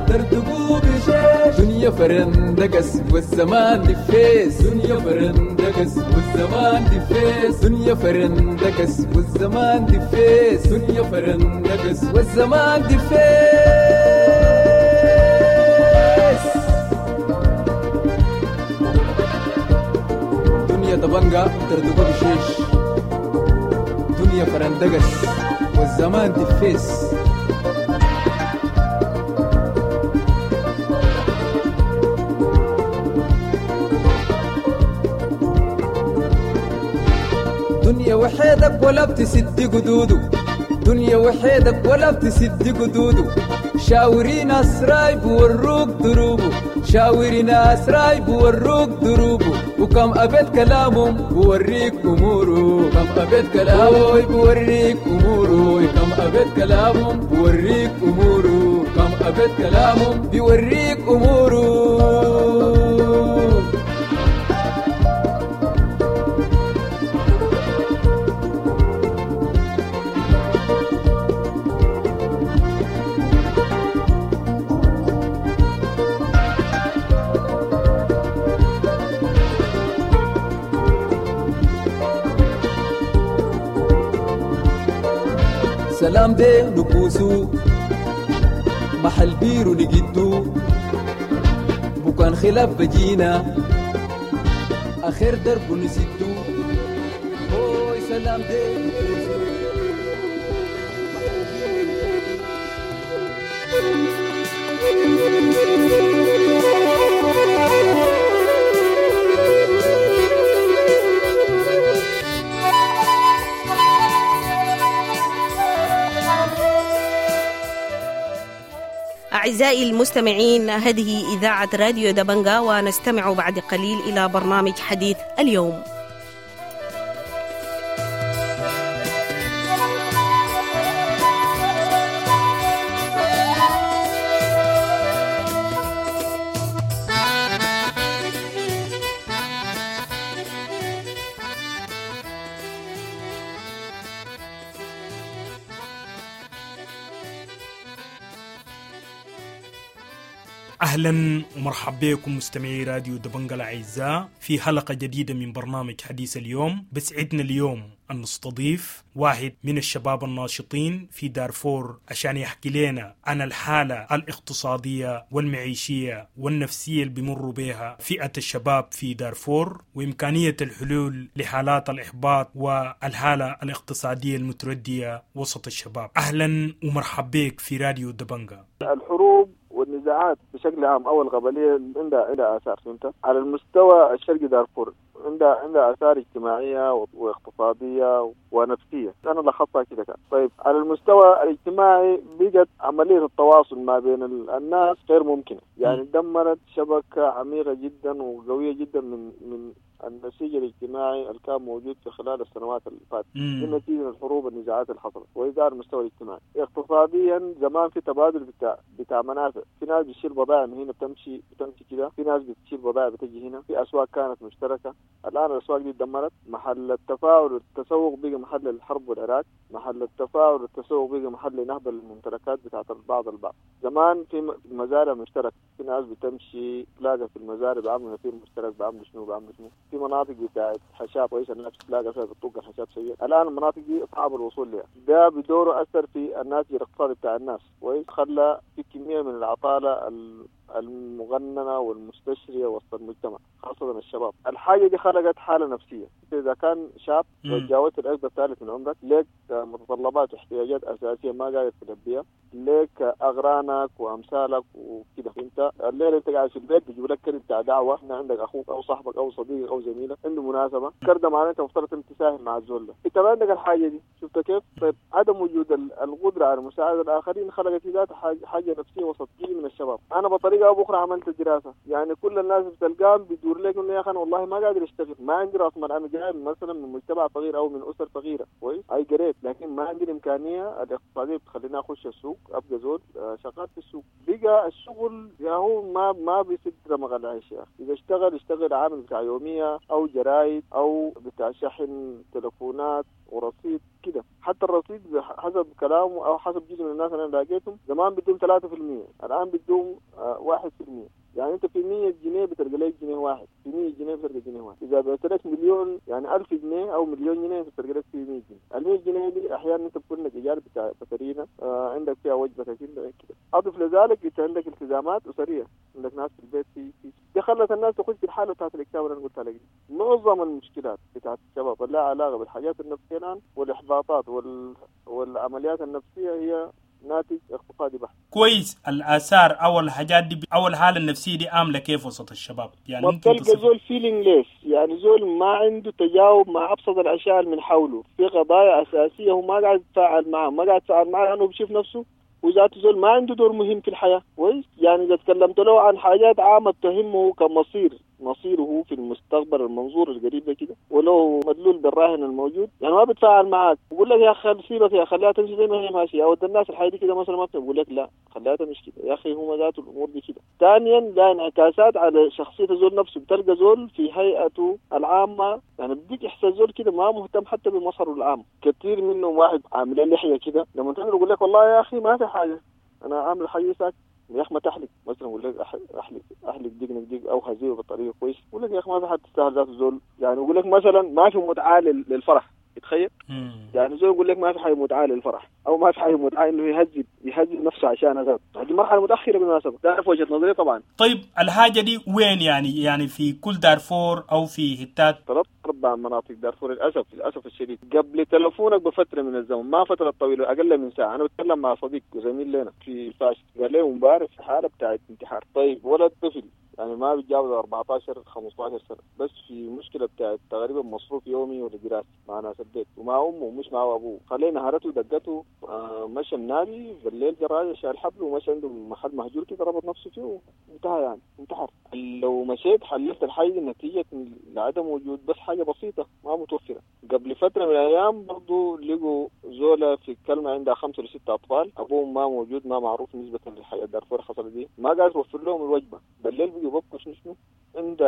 ترتقو بشيش، دنيا فرندقس والزمان دفيس، دنيا فرندقس والزمان دفيس، دنيا فرندقس والزمان دفيس، دنيا فرندقس والزمان دفيس. دنيا دبنجا ترتقو بشيش، دنيا فرندقس والزمان دفيس. دنيا وحيدك ولا بتسد قدوده، دنيا وحيدك ولا بتسد قدوده، شاوري ناس رايب وروك دروبه، شاوري ناس رايب وروك دروبه، وكم أبيت كلامهم بوريك أموره، كم أبيت كلامه بوريك أموره، كم أبيت كلامهم بوريك أموره، كم أبيت كلامهم بيوريك أموره. سلام دي نكوسو محل بيرو نجدو بكان خلاف بجينا آخر درب نسدو هوي سلام دي نكوسو. أعزائي المستمعين، هذه إذاعة راديو دبنجا، ونستمع بعد قليل إلى برنامج حديث اليوم. أهلا ومرحبا بكم مستمعي راديو دبنجا الأعزاء في حلقة جديدة من برنامج حديث اليوم. بسعدنا اليوم أن نستضيف واحد من الشباب الناشطين في دارفور عشان يحكي لنا عن الحالة الاقتصادية والمعيشية والنفسية اللي بيمروا بها فئة الشباب في دارفور، وإمكانية الحلول لحالات الإحباط والحالة الاقتصادية المتردية وسط الشباب. أهلا ومرحبا بك في راديو دبنجا. الحروب والنزاعات بشكل عام أو القبلية عندها عندها آثار، فهمت؟ على المستوى الشرقي دارفور عندها عندها آثار اجتماعية واقتصادية ونفسية، أنا لخصتها كده كان. طيب على المستوى الاجتماعي بقت عملية التواصل ما بين الناس غير ممكنة، يعني دمرت شبكة عميقة جدا وقوية جدا من من النسيج الاجتماعي اللي كان موجود في خلال السنوات اللي فاتت نتيجة الحروب والنزاعات اللي حصلت. وإذا على المستوى الاجتماعي اقتصاديا زمان في تبادل بتاع بتاع منافع، في ناس بتشيل بضائع من هنا بتمشي بتمشي كده، في ناس بتشيل بضائع بتجي هنا، في أسواق كانت مشتركة. الآن الأسواق دي اتدمرت، محل التفاعل والتسوق بقى محل الحرب والعراك، محل التفاعل والتسوق بقى محل نهب الممتلكات بتاعت البعض البعض. زمان في مزارع مشتركة، في ناس بتمشي تلاقى في المزارع بعملوا نفير مشترك، بعملوا شنو بعملوا شنو، في مناطق بتاعت حشاب كويس الناس بتلاقى فيها بتطق الحشاب سيء. الآن المناطق دي صعب الوصول لها، ده بدوره أثر في الناتج الاقتصادي بتاع الناس كويس، خلى في كمية من العطالة المغننة والمستشرية وسط المجتمع خاصة الشباب. الحاجة دي خلقت حالة نفسية. إذا كان شاب وتجاوزت العقد الثالث من عمرك، لك متطلبات واحتياجات أساسية ما قادر تلبيها، لك أغرانك وأمثالك وكده. أنت الليلة أنت قاعد في البيت بيجيب لك كرت بتاع دعوة، إن عندك أخوك أو صاحبك أو صديقك أو زميلك عنده مناسبة، كرت ده معناته أنت مفترض أنت تساهم مع الزول ده، أنت ما عندك الحاجة دي. شفت كيف؟ طيب عدم وجود القدرة على مساعدة الآخرين خلقت في ذاتها حاجة نفسية وسط جيل من الشباب. أنا بطريقة أو بأخرى عملت دراسة، يعني كل الناس بتلقاهم بيدور لك إنه يا أخي أنا والله ما قادر أشتغل، ما عندي رأس مال، أنا جاي مثلا من مجتمع فقير أو من أسر فقيرة كويس، أي قريت، لكن ما عندي الإمكانية الاقتصادية بتخليني أخش السوق أبقى زول شغال في السوق. بقى الشغل يا هو ما ما بيسد رمق العيش يا أخي. إذا اشتغل اشتغل عامل بتاع يومية أو جرايد أو بتاع شحن تلفونات ورصيد كده. حتى الرصيد حسب كلامه أو حسب جزء من الناس اللي أنا لقيتهم زمان بدهم ثلاثة في المية، الآن بدهم واحد في المية. يعني أنت في مية جنيه بتلقى لك جنيه واحد، في مية جنيه بتلقى جنيه واحد. إذا بعت لك مليون يعني ألف جنيه أو مليون جنيه أنت بتلقى لك في مية جنيه. المية جنيه دي أحيانا أنت بتكون لك إيجار بتاع بترينا، آه عندك فيها وجبة كده كده. أضف لذلك أنت عندك التزامات أسرية، عندك ناس في البيت في في دي خلت الناس تخش في الحالة بتاعت الاكتئاب اللي أنا قلت لك. معظم المشكلات بتاعت الشباب لها علاقة بالحاجات النفسية الآن والإحباطات وال... والعمليات النفسية هي ناتج اقتصادي بحت. كويس. الآثار أو الحاجات دي أو الحالة النفسية دي عاملة كيف وسط الشباب؟ يعني ما بتلقى زول feelingless، يعني زول ما عنده تجاوب مع أبسط الأشياء من حوله، في قضايا أساسية هو ما قاعد يتفاعل معها، ما قاعد يتفاعل معها لأنه بيشوف نفسه وذاته زول ما عنده دور مهم في الحياة. كويس، يعني إذا تكلمت له عن حاجات عامة تهمه كمصير مصيره في المستقبل المنظور القريب ده كده، ولو مدلول بالراهن الموجود، يعني ما بتفاعل معاك. بقول لك يا اخي سيبك يا خليها تمشي زي ما هي ماشية، او الناس الحياة دي كده مثلا ما بقول لك لا خليها تمشي كده يا اخي، هم ذاته الامور دي كده. ثانيا لا انعكاسات على شخصية زول نفسه، بتلقى زول في هيئته العامة يعني بديك احساس زول كده ما مهتم حتى بمظهره العام. كثير منهم واحد عامل لحية كده لما تقول يقول لك والله يا اخي ما في حاجة، انا عامل حاجة ساكت يا اخي ما تحلق مثلا، يقول لك احلق احلق دقنك دق او هزيمة بطريقة كويس، يقول لك يا اخي ما في حد تستاهل ذات الزول، يعني يقول لك مثلا ما في متعه للفرح. تخيل يعني زول يقول لك ما في حاجة متعه للفرح، او ما في حاجة متعه انه يهذب يهذب نفسه عشان هذا. دي مرحلة متاخرة بالمناسبة، ده في وجهه نظري طبعا. طيب الحاجة دي وين يعني؟ يعني في كل دارفور او في حتات؟ ثلاث اربع مناطق دارفور للاسف، للاسف الشديد. قبل تلفونك بفترة من الزمن، ما فترة طويلة، اقل من ساعة، انا بتكلم مع صديق وزميل لنا في الفاشر، قال لي امبارح في حاله بتاعت انتحار. طيب ولد طفل يعني ما بيتجاوز أربعتاشر خمستاشر سنة، بس في مشكلة بتاعت تقريبا مصروف يومي ولا دراسي مع ناس البيت ومع امه ومش مع ابوه، خلينا نهارته دقته، آه مشى النادي بالليل جراجه شال حبل ومشى عنده محل مهجور كده ربط نفسه فيه وانتهى، يعني انتحر. لو مشيت حللت الحاجة دي نتيجة لعدم وجود بس حاجة بسيطة ما متوفرة. قبل فترة من الايام برضه لقوا زوله في كلمة عندها خمسة ولا ستة اطفال، ابوهم ما موجود ما معروف نسبه للحياة دارفور حصلت دي، ما قاعد توفر لهم الوجبة، بالليل بيجوا ببكوا شنو شنو عند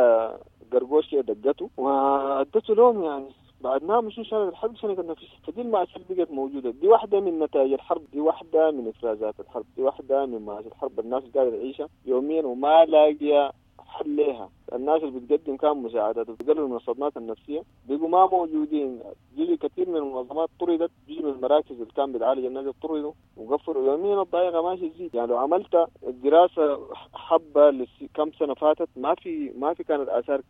قرقوش كده دقته وادته لهم، يعني بعد ما مشوا شالت الحرب شنقت نفسها. فدي المأساة بقت موجودة، دي واحدة من نتائج الحرب، دي واحدة من إفرازات الحرب، دي واحدة من مآسي الحرب الناس قاعدة تعيشها يوميا وما لاقية حل لها. الناس اللي بتقدم كان مساعدات وبتقلل من الصدمات النفسية بقوا ما موجودين، جزء كثير من المنظمات طردت، جزء من المراكز اللي كان بتعالج الناس طردوا وقفلوا، يوميا الضائقة ماشي تزيد. يعني لو عملت دراسة حبة لكم سنة فاتت ما في ما في كانت آثار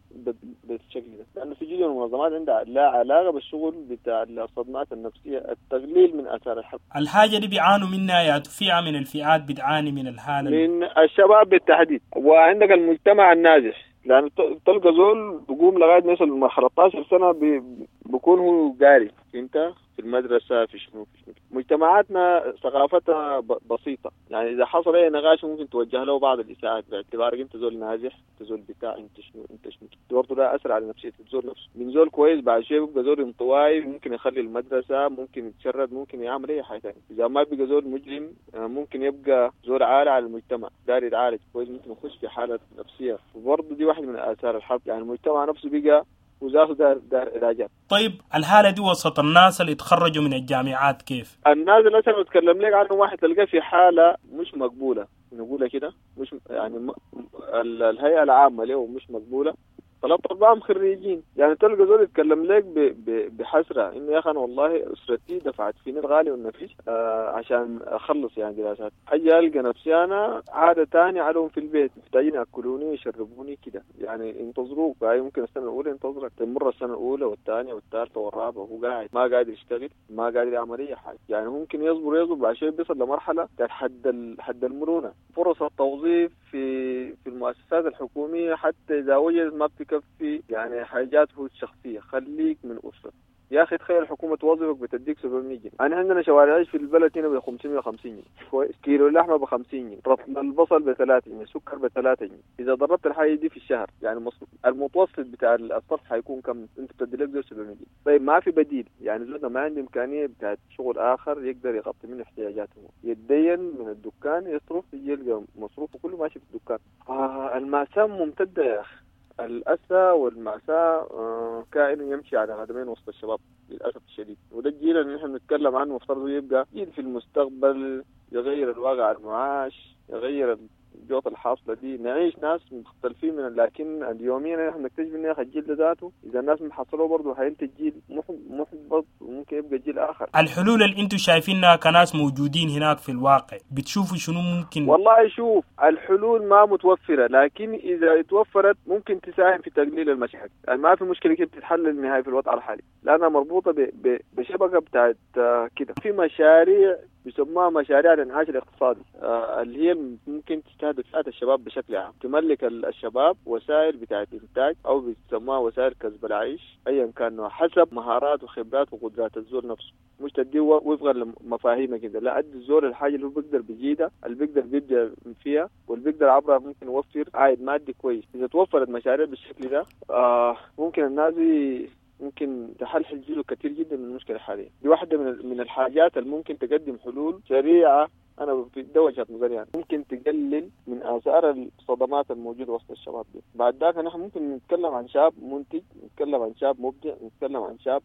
بالشكل ده، لأنه في جزء من المنظمات عندها لا علاقة بالشغل بتاع الصدمات النفسية، التقليل من آثار الحرب. الحاجة دي بيعانوا منها يا فئة من الفئات بتعاني من الحالة من الشباب بالتحديد، وعندك المجتمع النازح، لأن تلقى زول بقوم لغاية ما يوصل لمرحلة ستاشر سنة بي بكون هو قاري، انت في المدرسة في شنو في شنو. مجتمعاتنا ثقافتها بسيطة، يعني إذا حصل أي نقاش ممكن توجه له بعض الإساءات باعتبارك أنت زول نازح، أنت زول بتاع، أنت شنو أنت شنو، برضه ده أثر على نفسية الزول نفسه. من زول كويس بعد شوية بيبقى زول انطوائي، ممكن يخلي المدرسة، ممكن يتشرد، ممكن يعمل أي حاجة ثانية. إذا ما بقى زول مجرم ممكن يبقى زول عالي على المجتمع، داري يتعالج كويس، ممكن يخش في حالة نفسية، وبرضه دي واحدة من آثار الحرب. يعني المجتمع نفسه بقى وذاته دار دار علاجات. طيب الحالة دي وسط الناس اللي يتخرجوا من الجامعات كيف؟ الناس اللي أنا بتكلم لك عنه واحد تلقاه في حالة مش مقبولة، نقولها كده، مش يعني م... الهيئة العامة له مش مقبولة، ثلاث أربعة خريجين، يعني تلقى زول يتكلم لك ب... ب... بحسرة إنه يا أخي أنا والله أسرتي دفعت فيني الغالي والنفيس آه عشان أخلص يعني دراسات، أجي ألقى نفسي أنا عادة تاني عليهم في البيت، محتاجين يأكلوني ويشربوني كده، يعني ينتظروك، يعني ممكن السنة الأولى ينتظرك، تمر السنة الأولى والثانية والثالثة والرابعة وهو قاعد ما قادر يشتغل، ما قادر يعمل أي حاجة، يعني ممكن يصبر يصبر بعد شوي بيصل لمرحلة حد ال... حد المرونة. فرص التوظيف في في المؤسسات الحكومية حتى إذا وجدت ما بتكفي يعني حاجاته الشخصية، خليك من أسرة يا أخي. تخيل الحكومة توظفك بتديك سبعمية جنيه، أنا عندنا شوارع عيش في البلد هنا ب خمسمية وخمسين جنيه، كويس، كيلو اللحمة ب خمسين جنيه، رطل البصل ب ثلاثة جنيه، السكر ب ثلاثة جنيه. إذا ضربت الحاجة دي في الشهر يعني المتوسط بتاع الصرف حيكون كم؟ أنت بتدي لك زول سبعمية جنيه. طيب ما في بديل، يعني زولنا ما عنده إمكانية بتاعت شغل آخر يقدر يغطي منه احتياجاته، يتدين من الدكان يصرف يلقى مصروفه كله ماشي في الدكان. آه المأساة ممتدة يا أخي، الأسى والمأساة كائن يمشي على قدمين وسط الشباب للأسف الشديد، وده الجيل اللي نحن بنتكلم عنه مفترض يبقى جيل في المستقبل يغير الواقع المعاش، يغير الجوطة الحاصلة دي، نعيش ناس مختلفين من، لكن اليومين نحن نكتشف إن الجيل ده ذاته إذا الناس محصلوه برضه حينتج جيل محبط وممكن يبقى جيل آخر. الحلول اللي أنتم شايفينها كناس موجودين هناك في الواقع بتشوفوا شنو ممكن؟ والله شوف الحلول ما متوفرة، لكن إذا اتوفرت ممكن تساهم في تقليل المشاكل. يعني ما في مشكلة كيف تتحل النهاية في الوضع الحالي، لأنها مربوطة بشبكة بتاعت كده. في مشاريع بيسموها مشاريع الانعاش الاقتصادي آه اللي هي ممكن تستهدف فئات الشباب بشكل عام، تملك الشباب وسائل بتاعت انتاج او بيسموها وسائل كسب العيش ايا كان نوع، حسب مهارات وخبرات وقدرات الزول نفسه، مش تديه وفقا لمفاهيمه كده، لا ادي الزول الحاجة اللي هو بيقدر بيجيدها، اللي بيقدر بيبدع فيها، واللي بيقدر عبرها ممكن يوفر عائد مادي كويس. اذا توفرت مشاريع بالشكل ده آه ممكن الناس ممكن تحلحل جزء كثير جدا من المشكلة الحالية. دي واحدة من من الحاجات اللي ممكن تقدم حلول سريعة انا في ده وجهه نظري يعني ممكن تقلل من اثار الصدمات الموجودة وسط الشباب دي. بعد ذاك نحن ممكن نتكلم عن شاب منتج، نتكلم عن شاب مبدع، نتكلم عن شاب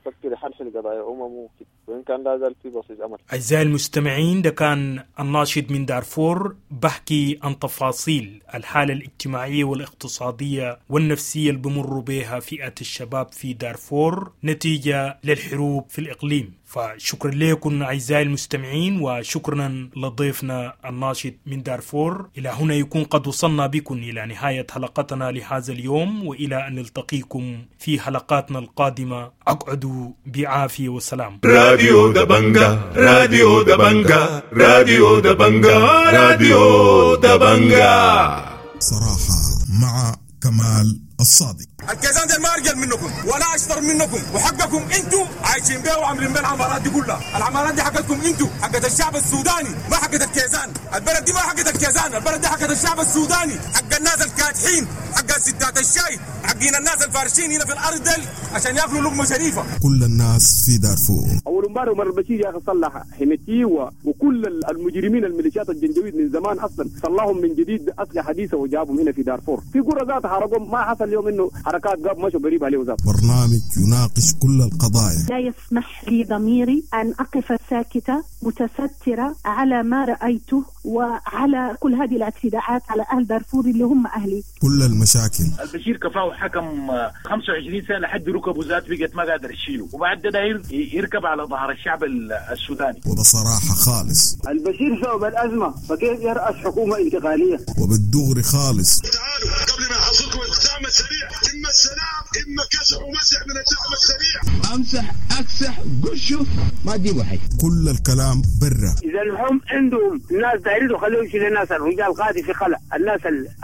فكر يحلحل قضايا اممه وان كان لا زال في بصيص امل. اعزائي المستمعين، ده كان الناشط من دارفور بحكي عن تفاصيل الحالة الاجتماعية والاقتصادية والنفسية اللي بمروا بها فئة الشباب في دارفور نتيجة للحروب في الاقليم. فشكرا لكم أعزائي المستمعين، وشكرا لضيفنا الناشط من دارفور. إلى هنا يكون قد وصلنا بكم إلى نهاية حلقتنا لهذا اليوم، وإلى أن نلتقيكم في حلقاتنا القادمة. أقعدوا بعافية وسلام. راديو دبنجا، راديو دبنجا، راديو دبنجا، راديو دبنجا. صراحة مع كمال الصادق. الكيزان دي ما ارجل منكم ولا اشطر منكم، وحقكم انتوا عايشين بيه وعاملين بيه العمارات دي كلها. العمارات دي حقتكم انتوا، حقت الشعب السوداني، ما حقت الكيزان. البلد دي ما حقت الكيزان، البلد دي حقت الشعب السوداني، حق الناس الكادحين، حق ستات الشاي، حقين الناس الفارشين هنا في الارض دل عشان ياكلوا لقمة شريفه. كل الناس في دارفور. اول امبارح عمر البشير يا اخي صلح حميتي و... وكل المجرمين الميليشيات الجنجويد من زمان اصلا صلحهم من جديد باسلحه حديثه وجابهم هنا في دارفور. في قرى ذات حرقهم، ما حصل اليوم انه حركات قاب مشوا قريب عليه وزاد. برنامج يناقش كل القضايا. لا يسمح لي ضميري ان اقف ساكته متستره على ما رايته وعلى كل هذه الاعتداءات على اهل دارفور اللي هم اهلي. كل المشاكل. البشير كفاه حكم خمسة وعشرين سنة لحد ركبه ذات بقت ما قادر يشيله، وبعد ده داير يركب على ظهر الشعب السوداني. وبصراحة خالص البشير سبب الازمة، فكيف يرأس حكومة انتقالية؟ وبالدغري خالص. تعالوا قبل ما يحصلكم الدعم السريع، اما السلام اما كسح ومسح من الدعم السريع. امسح اكسح قشه ما تجيبوا حاجة. كل الكلام برا. اذا هم عندهم ناس دايرين خليهم يشيلوا الناس، الرجال قاعد في خلا، الناس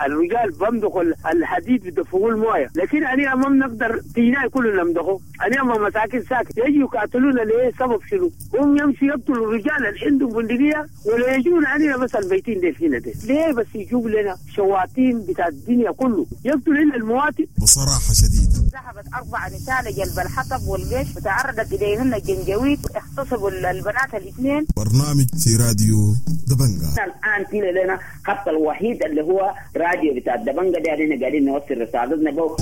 الرجال بمدخوا الحديد بدفقوا المويه، لكن انا ما بنقدر تينا كلنا نمدخه، انا ما مساكن ساكت يجوا يقاتلونا ليه؟ سبب شنو؟ هم يمشي يقتلوا الرجال اللي عندهم بندقية ولا يجون علينا بس البيتين دي فينا دي، ليه بس يجيب لنا شواطين بتاع الدنيا كله يقتلوا لنا المواطن؟ بصراحة شديدة. ذهبت اربع نساء لجلب الحطب والجيش وتعرضت اليهن الجنجويد، اغتصبوا البنات الاثنين. برنامج في راديو دبنجا. الان فينا لنا خط الوحيد اللي هو راديو بتاع الدبنجا ده، علينا قاعدين نوصل رسالتنا بو.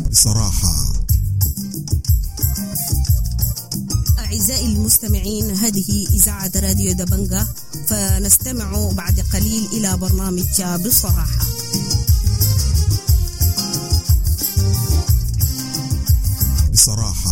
بصراحة أعزائي المستمعين، هذه إذاعة راديو دبنجا، فنستمع بعد قليل إلى برنامج بصراحة. بصراحة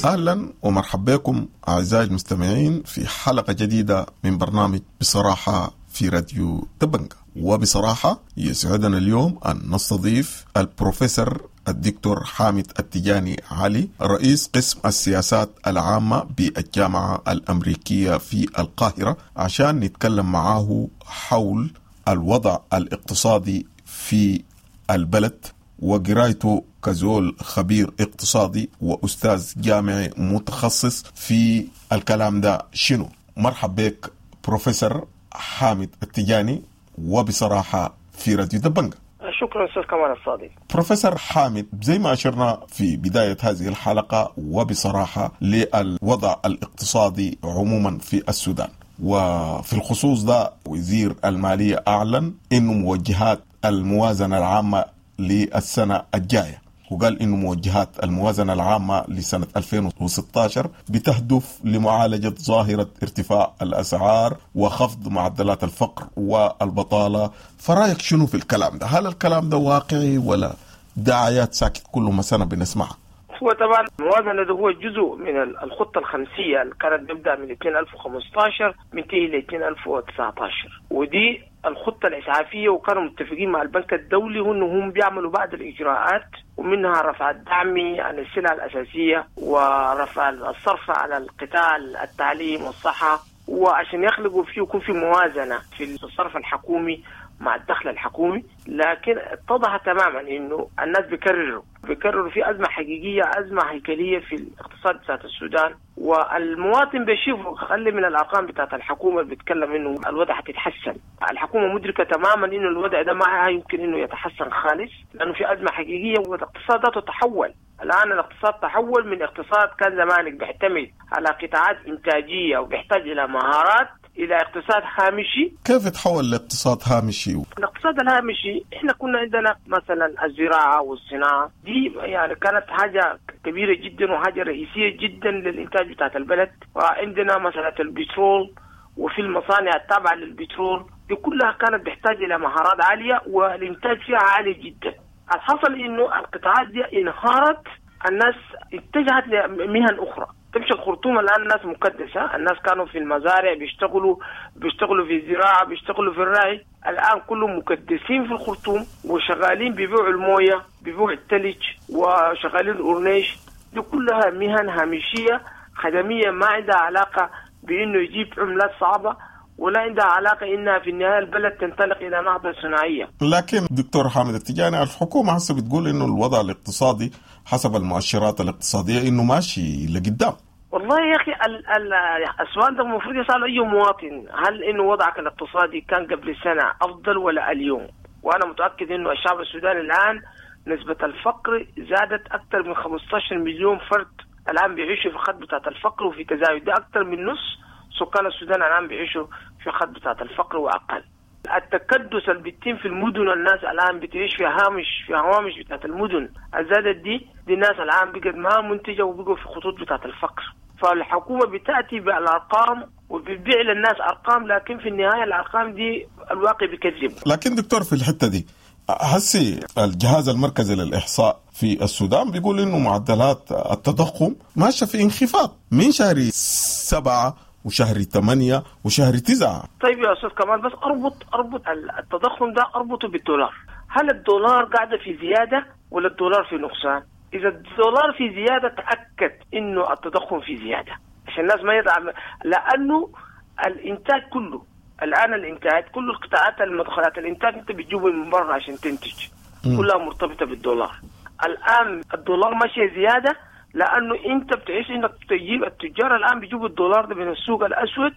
أهلا ومرحبا بكم أعزائي المستمعين في حلقة جديدة من برنامج بصراحة في راديو دبنجا. وبصراحة يسعدنا اليوم أن نستضيف البروفيسور الدكتور حامد التجاني علي، رئيس قسم السياسات العامة بالجامعة الأمريكية في القاهرة، عشان نتكلم معاه حول الوضع الاقتصادي في البلد وقرايته كزول خبير اقتصادي وأستاذ جامعي متخصص في الكلام ده شنو. مرحب بك بروفيسور حامد التجاني وبصراحة في راديو دبنجا. شكرا أستاذ كمال الصادق. بروفيسور حامد، زي ما أشرنا في بداية هذه الحلقة وبصراحة للوضع الاقتصادي عموما في السودان، وفي الخصوص ده وزير المالية أعلن إنه موجهات الموازنة العامة للسنة الجاية، وقال إنه موجهات الموازنة العامة لسنة ألفين وستة عشر بتهدف لمعالجة ظاهرة ارتفاع الأسعار وخفض معدلات الفقر والبطالة. فرأيك شنو في الكلام ده؟ هل الكلام ده واقعي ولا دعايات ساكت كل ما سنة بنسمعها؟ هو طبعا الموازنة ده هو جزء من الخطة الخمسية اللي كانت بيبدأ من ألفين وخمسة عشر منتهي ل ألفين وتسعة عشر، ودي الخطة الإسعافية، وكانوا متفقين مع البنك الدولي وإنه هم بيعملوا بعض الإجراءات ومنها رفع الدعم عن السلع الأساسية ورفع الصرف على القطاع التعليم والصحة، وعشان يخلقوا فيه يكون في موازنة في الصرف الحكومي مع الدخل الحكومي، لكن اتضح تماما انه الناس بيكرروا بيكرروا في ازمة حقيقية، ازمة هيكلية في الاقتصاد بتاعت السودان، والمواطن بيشوف خلي من الارقام بتاعت الحكومة اللي بيتكلم انه الوضع حتتحسن. الحكومة مدركه تماما انه الوضع ده ما يمكن انه يتحسن خالص، لانه في ازمة حقيقية والاقتصاد ذاته تحول. الان الاقتصاد تحول من اقتصاد كان زمانك بيعتمد على قطاعات انتاجية وبيحتاج الى مهارات الى اقتصاد هامشي. كيف تحول لاقتصاد هامشي؟ الاقتصاد الهامشي احنا كنا عندنا مثلا الزراعة والصناعة دي يعني كانت حاجة كبيرة جدا وحاجه رئيسية جدا للانتاج بتاعت البلد، وعندنا مسالة البترول وفي المصانع التابعة للبترول دي كلها كانت بتحتاج الى مهارات عالية والانتاج فيها عالي جدا. الحصل انه القطاعات دي انهارت، الناس اتجهت لمهن اخرى. تمشي الخرطوم الان الناس مكدسه، الناس كانوا في المزارع بيشتغلوا بيشتغلوا في الزراعة، بيشتغلوا في الرعي، الان كلهم مكدسين في الخرطوم وشغالين بيبيعوا المويه، بيبيعوا الثلج، وشغالين الاورنيش. دي كلها مهن هامشية خدميه ما عندها علاقة بانه يجيب عملات صعبة، ولا عندها علاقة انها في النهاية البلد تنطلق الى نهضة صناعية. لكن دكتور حامد التجاني، الحكومة هسه بتقول انه الوضع الاقتصادي حسب المؤشرات الاقتصادية انه ماشي لقدام. والله يا اخي ال ال السؤال ده المفروض يسأل اي مواطن، هل انه وضعك الاقتصادي كان قبل سنة افضل ولا اليوم؟ وانا متاكد انه الشعب السوداني الان نسبه الفقر زادت اكثر من خمسة عشر مليون فرد الان بيعيشوا في خط بتاعت الفقر وفي تزايد، ده اكثر من نص سكان السودان الان بيعيشوا في خط بتاعت الفقر واقل. التكدس اللي بيتم في المدن، الناس الان بتعيش في هامش في هوامش بتاعت المدن الزادت دي، دي الناس الان بقت ما منتجه وبقوا في خطوط بتاعت الفقر. فالحكومة بتاتي بالارقام وبتبيع للناس ارقام، لكن في النهاية الارقام دي الواقع بيكذب. لكن دكتور في الحتة دي هسي الجهاز المركزي للإحصاء في السودان بيقول إنه معدلات التضخم ماشية في انخفاض من شهر سبعة وشهر ثمانية وشهر تسعة. طيب يا أستاذ كمال، بس أربط أربط التضخم ده أربطه بالدولار. هل الدولار قاعدة في زيادة ولا الدولار في نقصان؟ إذا الدولار في زيادة تأكد إنه التضخم في زيادة، عشان الناس ما يدعم، لأنه الإنتاج كله الآن الإنتاج كل القطاعات المدخلات الإنتاج أنت بتجيبه من برا عشان تنتج كلها مرتبطة بالدولار. الآن الدولار ماشي زيادة لأنه أنت بتعيش إنك تجيب التجار الآن بيجيبوا الدولار ده من السوق الأسود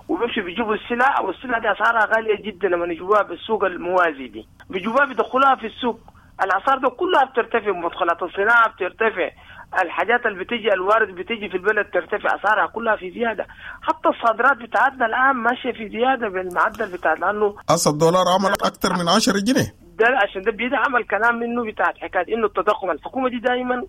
وبيمشوا بيجيبوا السلع، والسلع دي أسعارها غالية جدا لما يجيبوها بالسوق الموازي دي، بيجيبوها بيدخلوها في السوق، الأسعار ده كلها بترتفع، مدخلات الصناعة بترتفع، الحاجات اللي بتيجي الوارد بتيجي في البلد ترتفع، أسعارها كلها في زيادة، حتى الصادرات بتاعتنا الآن ماشية في زيادة بالمعدل بتاع، لأنه أصل الدولار عمل أكثر من عشرة جنيه. ده عشان ده بيدعم الكلام منه بتاع حكاية إنه التضخم. الحكومة دي دائما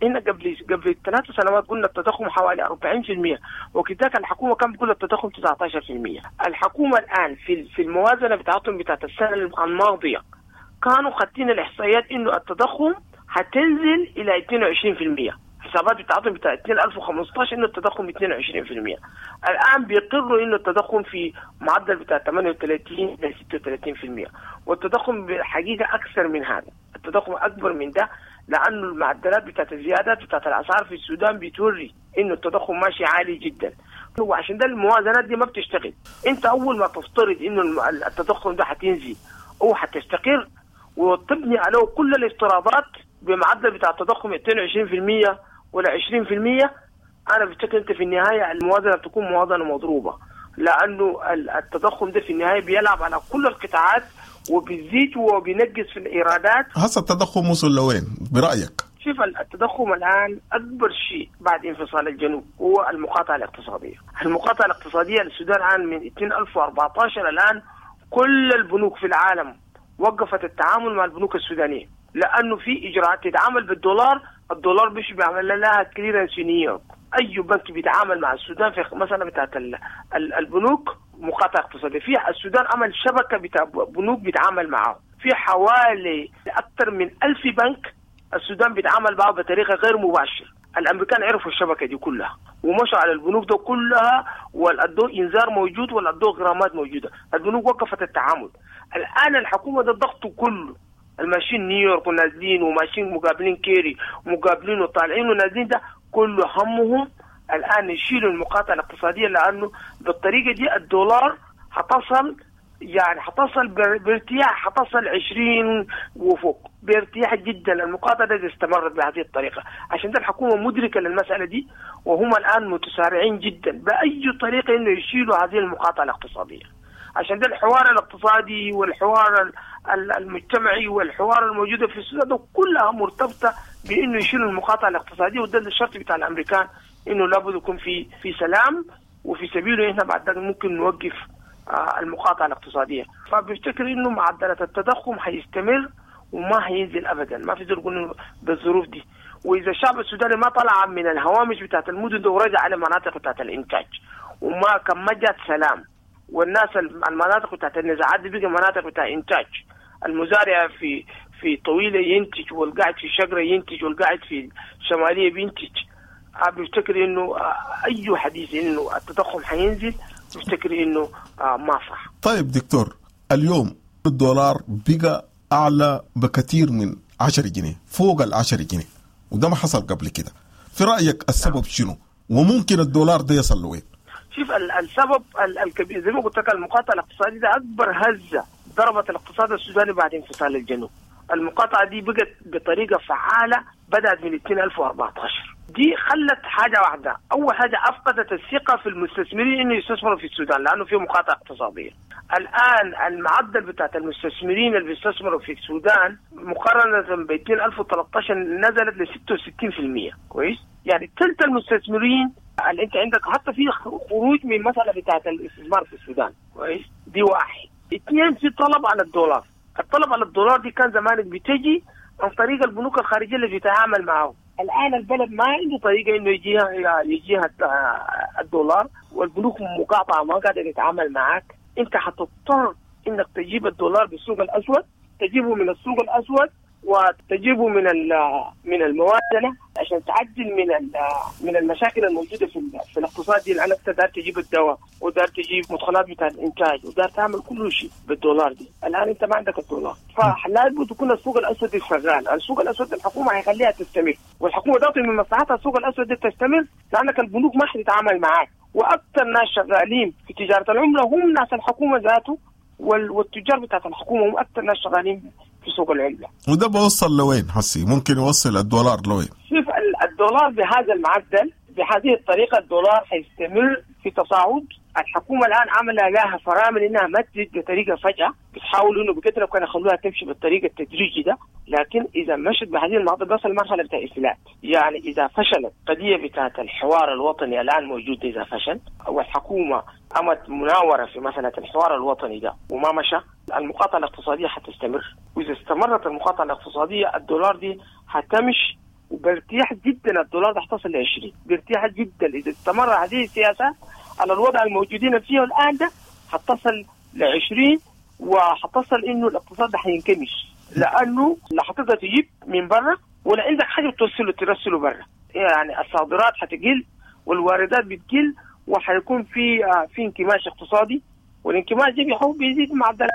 إن قبل قبل ثلاث سنوات قلنا التضخم حوالي أربعين بالمئة، وكذلك الحكومة كان بتقول التضخم تسعة عشر بالمئة. الحكومة الآن في في الموازنة بتاعتهم بتاعت السنة الماضية كانوا خاطين الإحصائيات إنه التضخم هتنزل إلى اثنين وعشرين بالمئة، حسابات بتاعتهم بتاع ألفين وخمسة عشر إنه التضخم اثنين وعشرين بالمئة. الآن بيقروا إنه التضخم في معدل بتاع ثمانية وثلاثين إلى ستة وثلاثين بالمئة، والتضخم بالحقيقة أكثر من هذا، التضخم أكبر من ده، لأنه المعدلات بتاعت الزيادات بتاعت الأسعار في السودان بتوري إنه التضخم ماشي عالي جدا، وعشان ده الموازنات دي ما بتشتغل. أنت أول ما تفترض إنه التضخم ده هتنزل أو هتستقر وتبني عليه كل الافتراضات بمعدل بتاع التضخم اثنين وعشرين بالمئة ولا عشرين بالمئة، أنا بفتكر أنت في النهاية الموازنة بتكون موازنة مضروبة، لأنه التضخم ده في النهاية بيلعب على كل القطاعات وبيزيد وبينقص في الإيرادات. هسه التضخم وصل لوين برأيك؟ شوف التضخم الآن أكبر شيء بعد انفصال الجنوب هو المقاطعة الاقتصادية. المقاطعة الاقتصادية للسودان الآن من ألفين وأربعة عشر الآن كل البنوك في العالم وقفت التعامل مع البنوك السودانية، لأنه في إجراءات تتعامل بالدولار، الدولار مش بيعمل لها clearance في نيويورك. أي بنك بيتعامل مع السودان في مثلا بتاعت البنوك مقاطعة اقتصادية، في السودان عمل شبكة بتاع بنوك بيتعامل معه، في حوالي أكثر من ألف بنك السودان بيتعامل معه بطريقة غير مباشرة. الأمريكان عرفوا الشبكة دي كلها ومشوا على البنوك ده كلها، والأدو إنذار موجود والأدو غرامات موجودة، البنوك وقفت التعامل. الآن الحكومة ده الضغط كله، الماشيين نيويورك ونازلين وماشيين مقابلين كيري ومقابلين وطالعين ونازلين، ده كله همهم الآن يشيلوا المقاطعة الاقتصادية، لأنه بالطريقة دي الدولار هتصل يعني حتصل بارتياح، حتصل عشرين وفوق بارتياح جدا. المقاطعة دي استمرت بهذه الطريقة، عشان ده الحكومة مدركة للمسألة دي، وهم الآن متسارعين جدا بأي طريقة إنه يشيلوا هذه المقاطعة الاقتصادية. عشان ده الحوار الاقتصادي والحوار المجتمعي والحوار الموجودة في السودان ده كلها مرتبطة بإنه يشيلوا المقاطعة الاقتصادية، وده الشرط بتاع الأمريكان إنه لابد يكون في في سلام، وفي سبيله إحنا بعد ذلك ممكن نوقف المقاطعة الاقتصادية. فبفتكر إنه معدلات التضخم هيستمر وما هينزل أبدا، ما في زول يقول بالظروف دي. وإذا الشعب السوداني ما طلع من الهوامش بتاعت المدن ده ورجع على مناطق بتاعت الإنتاج، وما كان ما جات سلام، والناس المناطق بتاعت النزاعات دي بقى مناطق بتاع إنتاج، المزارع في في طويلة ينتج، والقاعد في شجرة ينتج، والقاعد في شمالية بينتج. بفتكر إنه أي حديث إنه التضخم حينزل بفتكر إنه ما صح. طيب دكتور، اليوم الدولار بقى أعلى بكثير من عشرة جنيه، فوق العشرة جنيه، وده ما حصل قبل كده. في رأيك السبب شنو؟ وممكن الدولار ده يصل لوين؟ شوف السبب الكبير زي ما قلت لك، المقاطعة الاقتصادية ده أكبر هزة ضربت الاقتصاد السوداني بعد انفصال الجنوب. المقاطعة دي بقت بطريقة فعالة بدأت من ألفين وأربعة عشر. دي خلت حاجة واحدة، أول حاجة أفقدت الثقة في المستثمرين إنه يستثمروا في السودان لأنه في مقاطعة اقتصادية. الآن المعدل بتاعت المستثمرين اللي بيستثمروا في السودان مقارنة ب ألفين وثلاثة عشر نزلت ل ستة وستين بالمية. كويس؟ يعني ثلث المستثمرين اللي أنت عندك حتى في خروج من مسألة بتاعت الاستثمار في السودان. كويس؟ دي واحد. اثنين، في طلب على الدولار. الطلب على الدولار دي كان زمانك بتجي عن طريق البنوك الخارجية اللي بيتعامل معه. الآن البلد ما عنده طريقة إنه يجيها يجيها الدولار، والبنوك مقاطعة ما قادر يتعامل معك. أنت حتضطر إنك تجيب الدولار بالسوق الأسود، تجيبه من السوق الأسود وتجيبه من من الموازنة عشان تعدل من من المشاكل الموجودة في في الاقتصاد دي. لأنك دار تجيب الدواء ودار تجيب مدخلات بتاع الإنتاج ودار تعمل كل شيء بالدولار دي. الآن أنت ما عندك الدولار، فلابد يكون السوق الأسود شغال. السوق الأسود الحكومة هيخليها تستمر، والحكومة ضغط من مصلحتها السوق الأسود دي تستمر، لأنك البنوك ما حتتعامل معاك. وأكثر ناس شغالين في تجارة العملة هم ناس الحكومة ذاته، والتجار بتاعت الحكومة هم أكثر ناس شغالين في سوق العملة. وده بوصل لوين حسي؟ ممكن يوصل الدولار لوين؟ شوف الدولار بهذا المعدل بهذه الطريقة الدولار حيستمر في تصاعد. الحكومة الآن عاملة لها فرامل إنها ما تزيد بطريقة فجأة، بتحاول إنه بقدر كانوا يخلوها تمشي بالطريقة التدريجي ده، لكن إذا مشت بهذه المعدل بس المرحلة بتاع إفلات. يعني إذا فشلت قضية بتاعت الحوار الوطني الآن موجودة، إذا فشل والحكومة قامت مناورة في مسألة الحوار الوطني ده وما مشى، المقاطعة الاقتصادية حتستمر. وإذا استمرت المقاطعة الاقتصادية الدولار دي حتمشي وبارتياح جدا. الدولار ده حتصل ل عشرين بارتياح جدا. إذا استمر هذه السياسة على الوضع الموجودين فيه الآن ده حتصل ل عشرين، وحتصل إنه الاقتصاد ده حينكمش، لأنه لا حتقدر تجيب من برا ولا عندك حاجة توصله ترسله برا. يعني الصادرات حتقل والواردات بتقل، وحيكون في في انكماش اقتصادي، والانكماش ده بيحاول بيزيد معدلات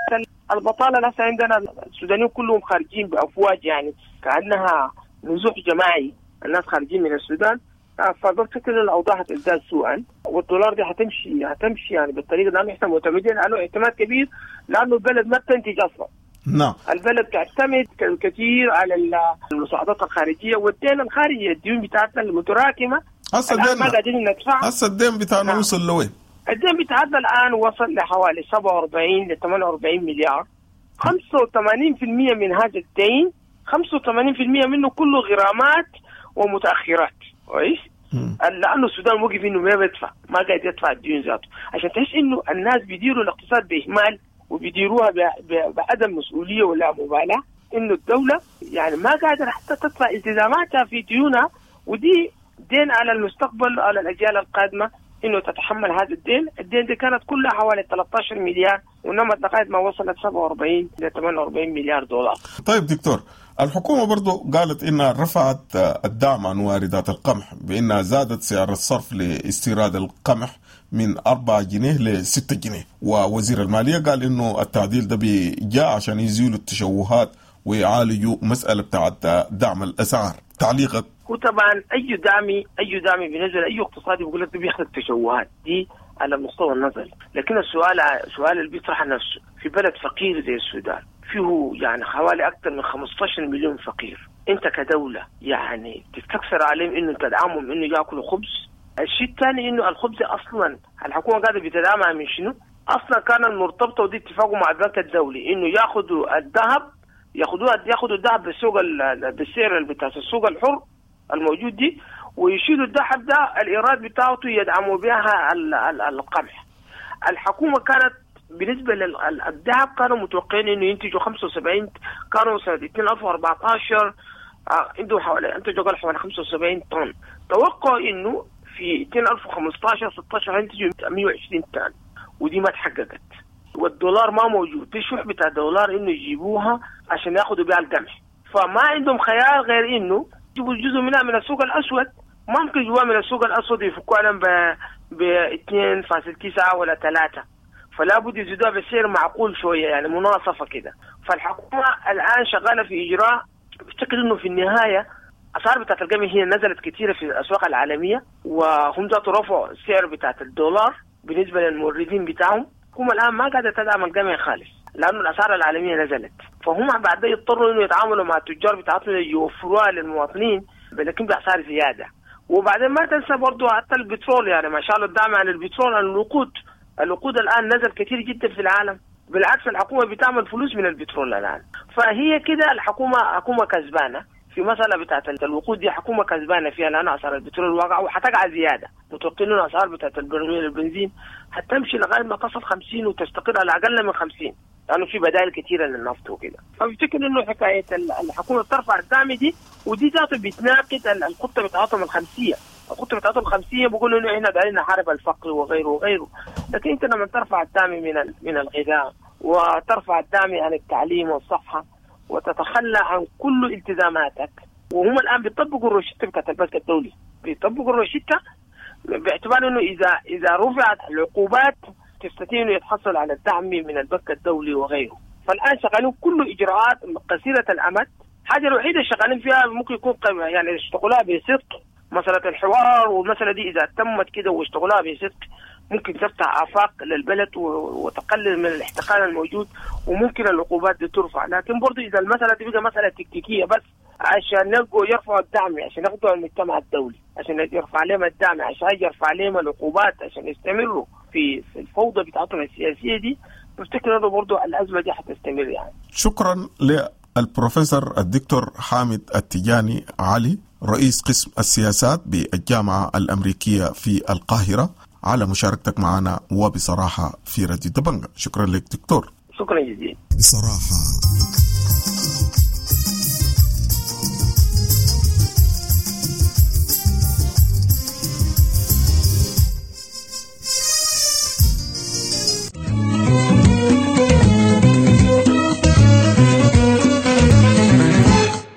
البطالة. لسه عندنا السودانيين كلهم خارجين بأفواج، يعني كأنها نزوح جماعي، الناس خارجين من السودان. فبفتكر الأوضاع هتزداد سوءا، والدولار دي هتمشي هتمشي يعني بالطريقة لأنه احنا معتمدين عليه اعتماد كبير، لأنه البلد ما بتنتج أصلا. نعم. البلد تعتمد كثير على المساعدات الخارجية والدين الخارجي، الديون بتاعتنا المتراكمة. هسه الدين ما قادرين ندفع. هسه الدين بتاعنا نعم. وصل لوين؟ الدين بتاعتنا الآن وصل لحوالي سبعة وأربعين ل ثمانية وأربعين مليار. خمسة وثمانين بالمئة من هذا الدين، خمسة وثمانين بالمئة منه كله غرامات ومتأخرات. كويس؟ لأنه السودان وقف إنه ما بيدفع، ما قاعد يدفع الديون ذاته، عشان تحس إنه الناس بيديروا الاقتصاد بإهمال وبيديروها بعدم مسؤولية ولا مبالاة، إنه الدولة يعني ما قادرة حتى تدفع التزاماتها في ديونها، ودي دين على المستقبل على الأجيال القادمة إنه تتحمل هذا الدين. الدين دي كانت كلها حوالي ثلاثة عشر مليار ونمت لغاية ما وصلت سبعة وأربعين إلى ثمانية وأربعين مليار دولار. طيب دكتور، الحكومة برضو قالت إنها رفعت الدعم عن واردات القمح بإنها زادت سعر الصرف لاستيراد القمح من أربعة جنيه لستة جنيه، ووزير المالية قال إنه التعديل ده جاء عشان يزيلوا التشوهات ويعالجوا مسألة بتاعت دعم الأسعار. تعليقك؟ هو طبعا أي دعم أي دعم بالنسبة لأي اقتصادي بيقول لك بيخلق تشوهات دي على مستوى النظري، لكن السؤال سؤال اللي بيطرح نفسه، في بلد فقير زي السودان فيه يعني حوالي أكثر من خمستاشر مليون فقير، أنت كدولة يعني تستكثر عليهم إنه تدعمهم إنه يأكلوا خبز. الشيء الثاني إنه الخبز أصلا الحكومة قاعدة بتدعمها من شنو؟ أصلا كان المرتبطة ودي اتفاقه مع البنك الدولي إنه ياخذوا الذهب، ياخذوها ياخذوا الذهب بالسوق بالسعر بتاع السوق الحر الموجود دي، ويشيلوا الذهب ده الإيراد بتاعته يدعموا بها القمح. الحكومة كانت بالنسبة للذهب كانوا متوقعين إنه ينتجوا خمسة وسبعين، كانوا سنة ألفين وأربعتاشر عندهم حوالي انتجوا حوالي خمسة وسبعين طن، توقعوا إنه في ألفين وخمستاشر ستاشر ينتجوا مية وعشرين طن، ودي ما تحققت. والدولار ما موجود، في شح بتاع دولار إنه يجيبوها عشان ياخذوا بها القمح، فما عندهم خيار غير إنه يجيبوا جزء منها من السوق الأسود. ما ممكن يجيبوها من السوق الأسود يفكوها لهم ب اثنين فاصل تسعة ولا ثلاثة، فلا بد يزيدوها بسعر معقول شوية يعني مناصفة كده. فالحكومة الآن شغالة في إجراء، بفتكر إنه في النهاية أسعار بتاعت القمح هي نزلت كثيرة في الأسواق العالمية، وهم ذاتوا رفعوا السعر بتاعت الدولار بالنسبة للموردين بتاعهم. الحكومة الآن ما قاعدة تدعم القمح خالص لأنه الأسعار العالمية نزلت، فهم بعد يضطروا إنه يتعاملوا مع التجار بتاعتهم يوفروها للمواطنين لكن بأسعار زيادة. وبعدين ما تنسى برضو حتى البترول، يعني ما شاء الله الدعم عن البترول عن الوقود، الوقود الآن نزل كثير جدا في العالم، بالعكس الحكومة بتعمل فلوس من البترول الآن. فهي كده الحكومة حكومة كسبانة في مسألة بتاعت الوقود دي، حكومة كسبانة فيها لأن أسعار البترول واقعة وحتقع زيادة، متوقعين إنه أسعار بتاعت البرميل البنزين حتمشي لغاية ما تصل خمسين وتستقر على أقل من خمسين، لأنه في بدائل كثيرة للنفط وكده. فبفتكر إنه حكاية الحكومة بترفع الدعم دي، ودي ذاته بتناقض الخطة بتاعتهم الخمسية. الخطة بتاعتهم الخمسية بيقولوا إنه إحنا دايرين نحارب الفقر وغيره وغيره، لكن أنت لما ترفع الدعم من من الغذاء وترفع الدعم عن التعليم والصحة وتتخلى عن كل التزاماتك، وهم الآن بيطبقوا الروشتة بتاعت البنك الدولي، بيطبقوا الروشتة باعتبار إنه إذا إذا رفعت العقوبات تستطيع إنه يتحصل على الدعم من البنك الدولي وغيره. فالآن شغالين كل إجراءات قصيرة الأمد. الحاجة الوحيدة شغالين فيها ممكن يكون يعني يشتغلوها بصدق مسألة الحوار، والمسألة دي إذا تمت كده واشتغلوها بصدق ممكن تفتح آفاق للبلد وتقلل من الاحتقان الموجود، وممكن العقوبات دي ترفع. لكن برضو إذا المسألة دي بقى مسألة تكتيكية بس عشان يلقوا يرفعوا الدعم، عشان ياخدوا المجتمع الدولي، عشان يرفع عليهم الدعم، عشان يرفع عليهم العقوبات، عشان يستمروا في في الفوضى بتاعتهم السياسية دي، بفتكر إنه برضو الأزمة دي حتستمر يعني. شكرا للبروفيسور الدكتور حامد التجاني علي، رئيس قسم السياسات بالجامعة الأمريكية في القاهرة، على مشاركتك معنا وبصراحة في راديو دبنجة. شكرا لك دكتور. شكرا جزيلا. بصراحة.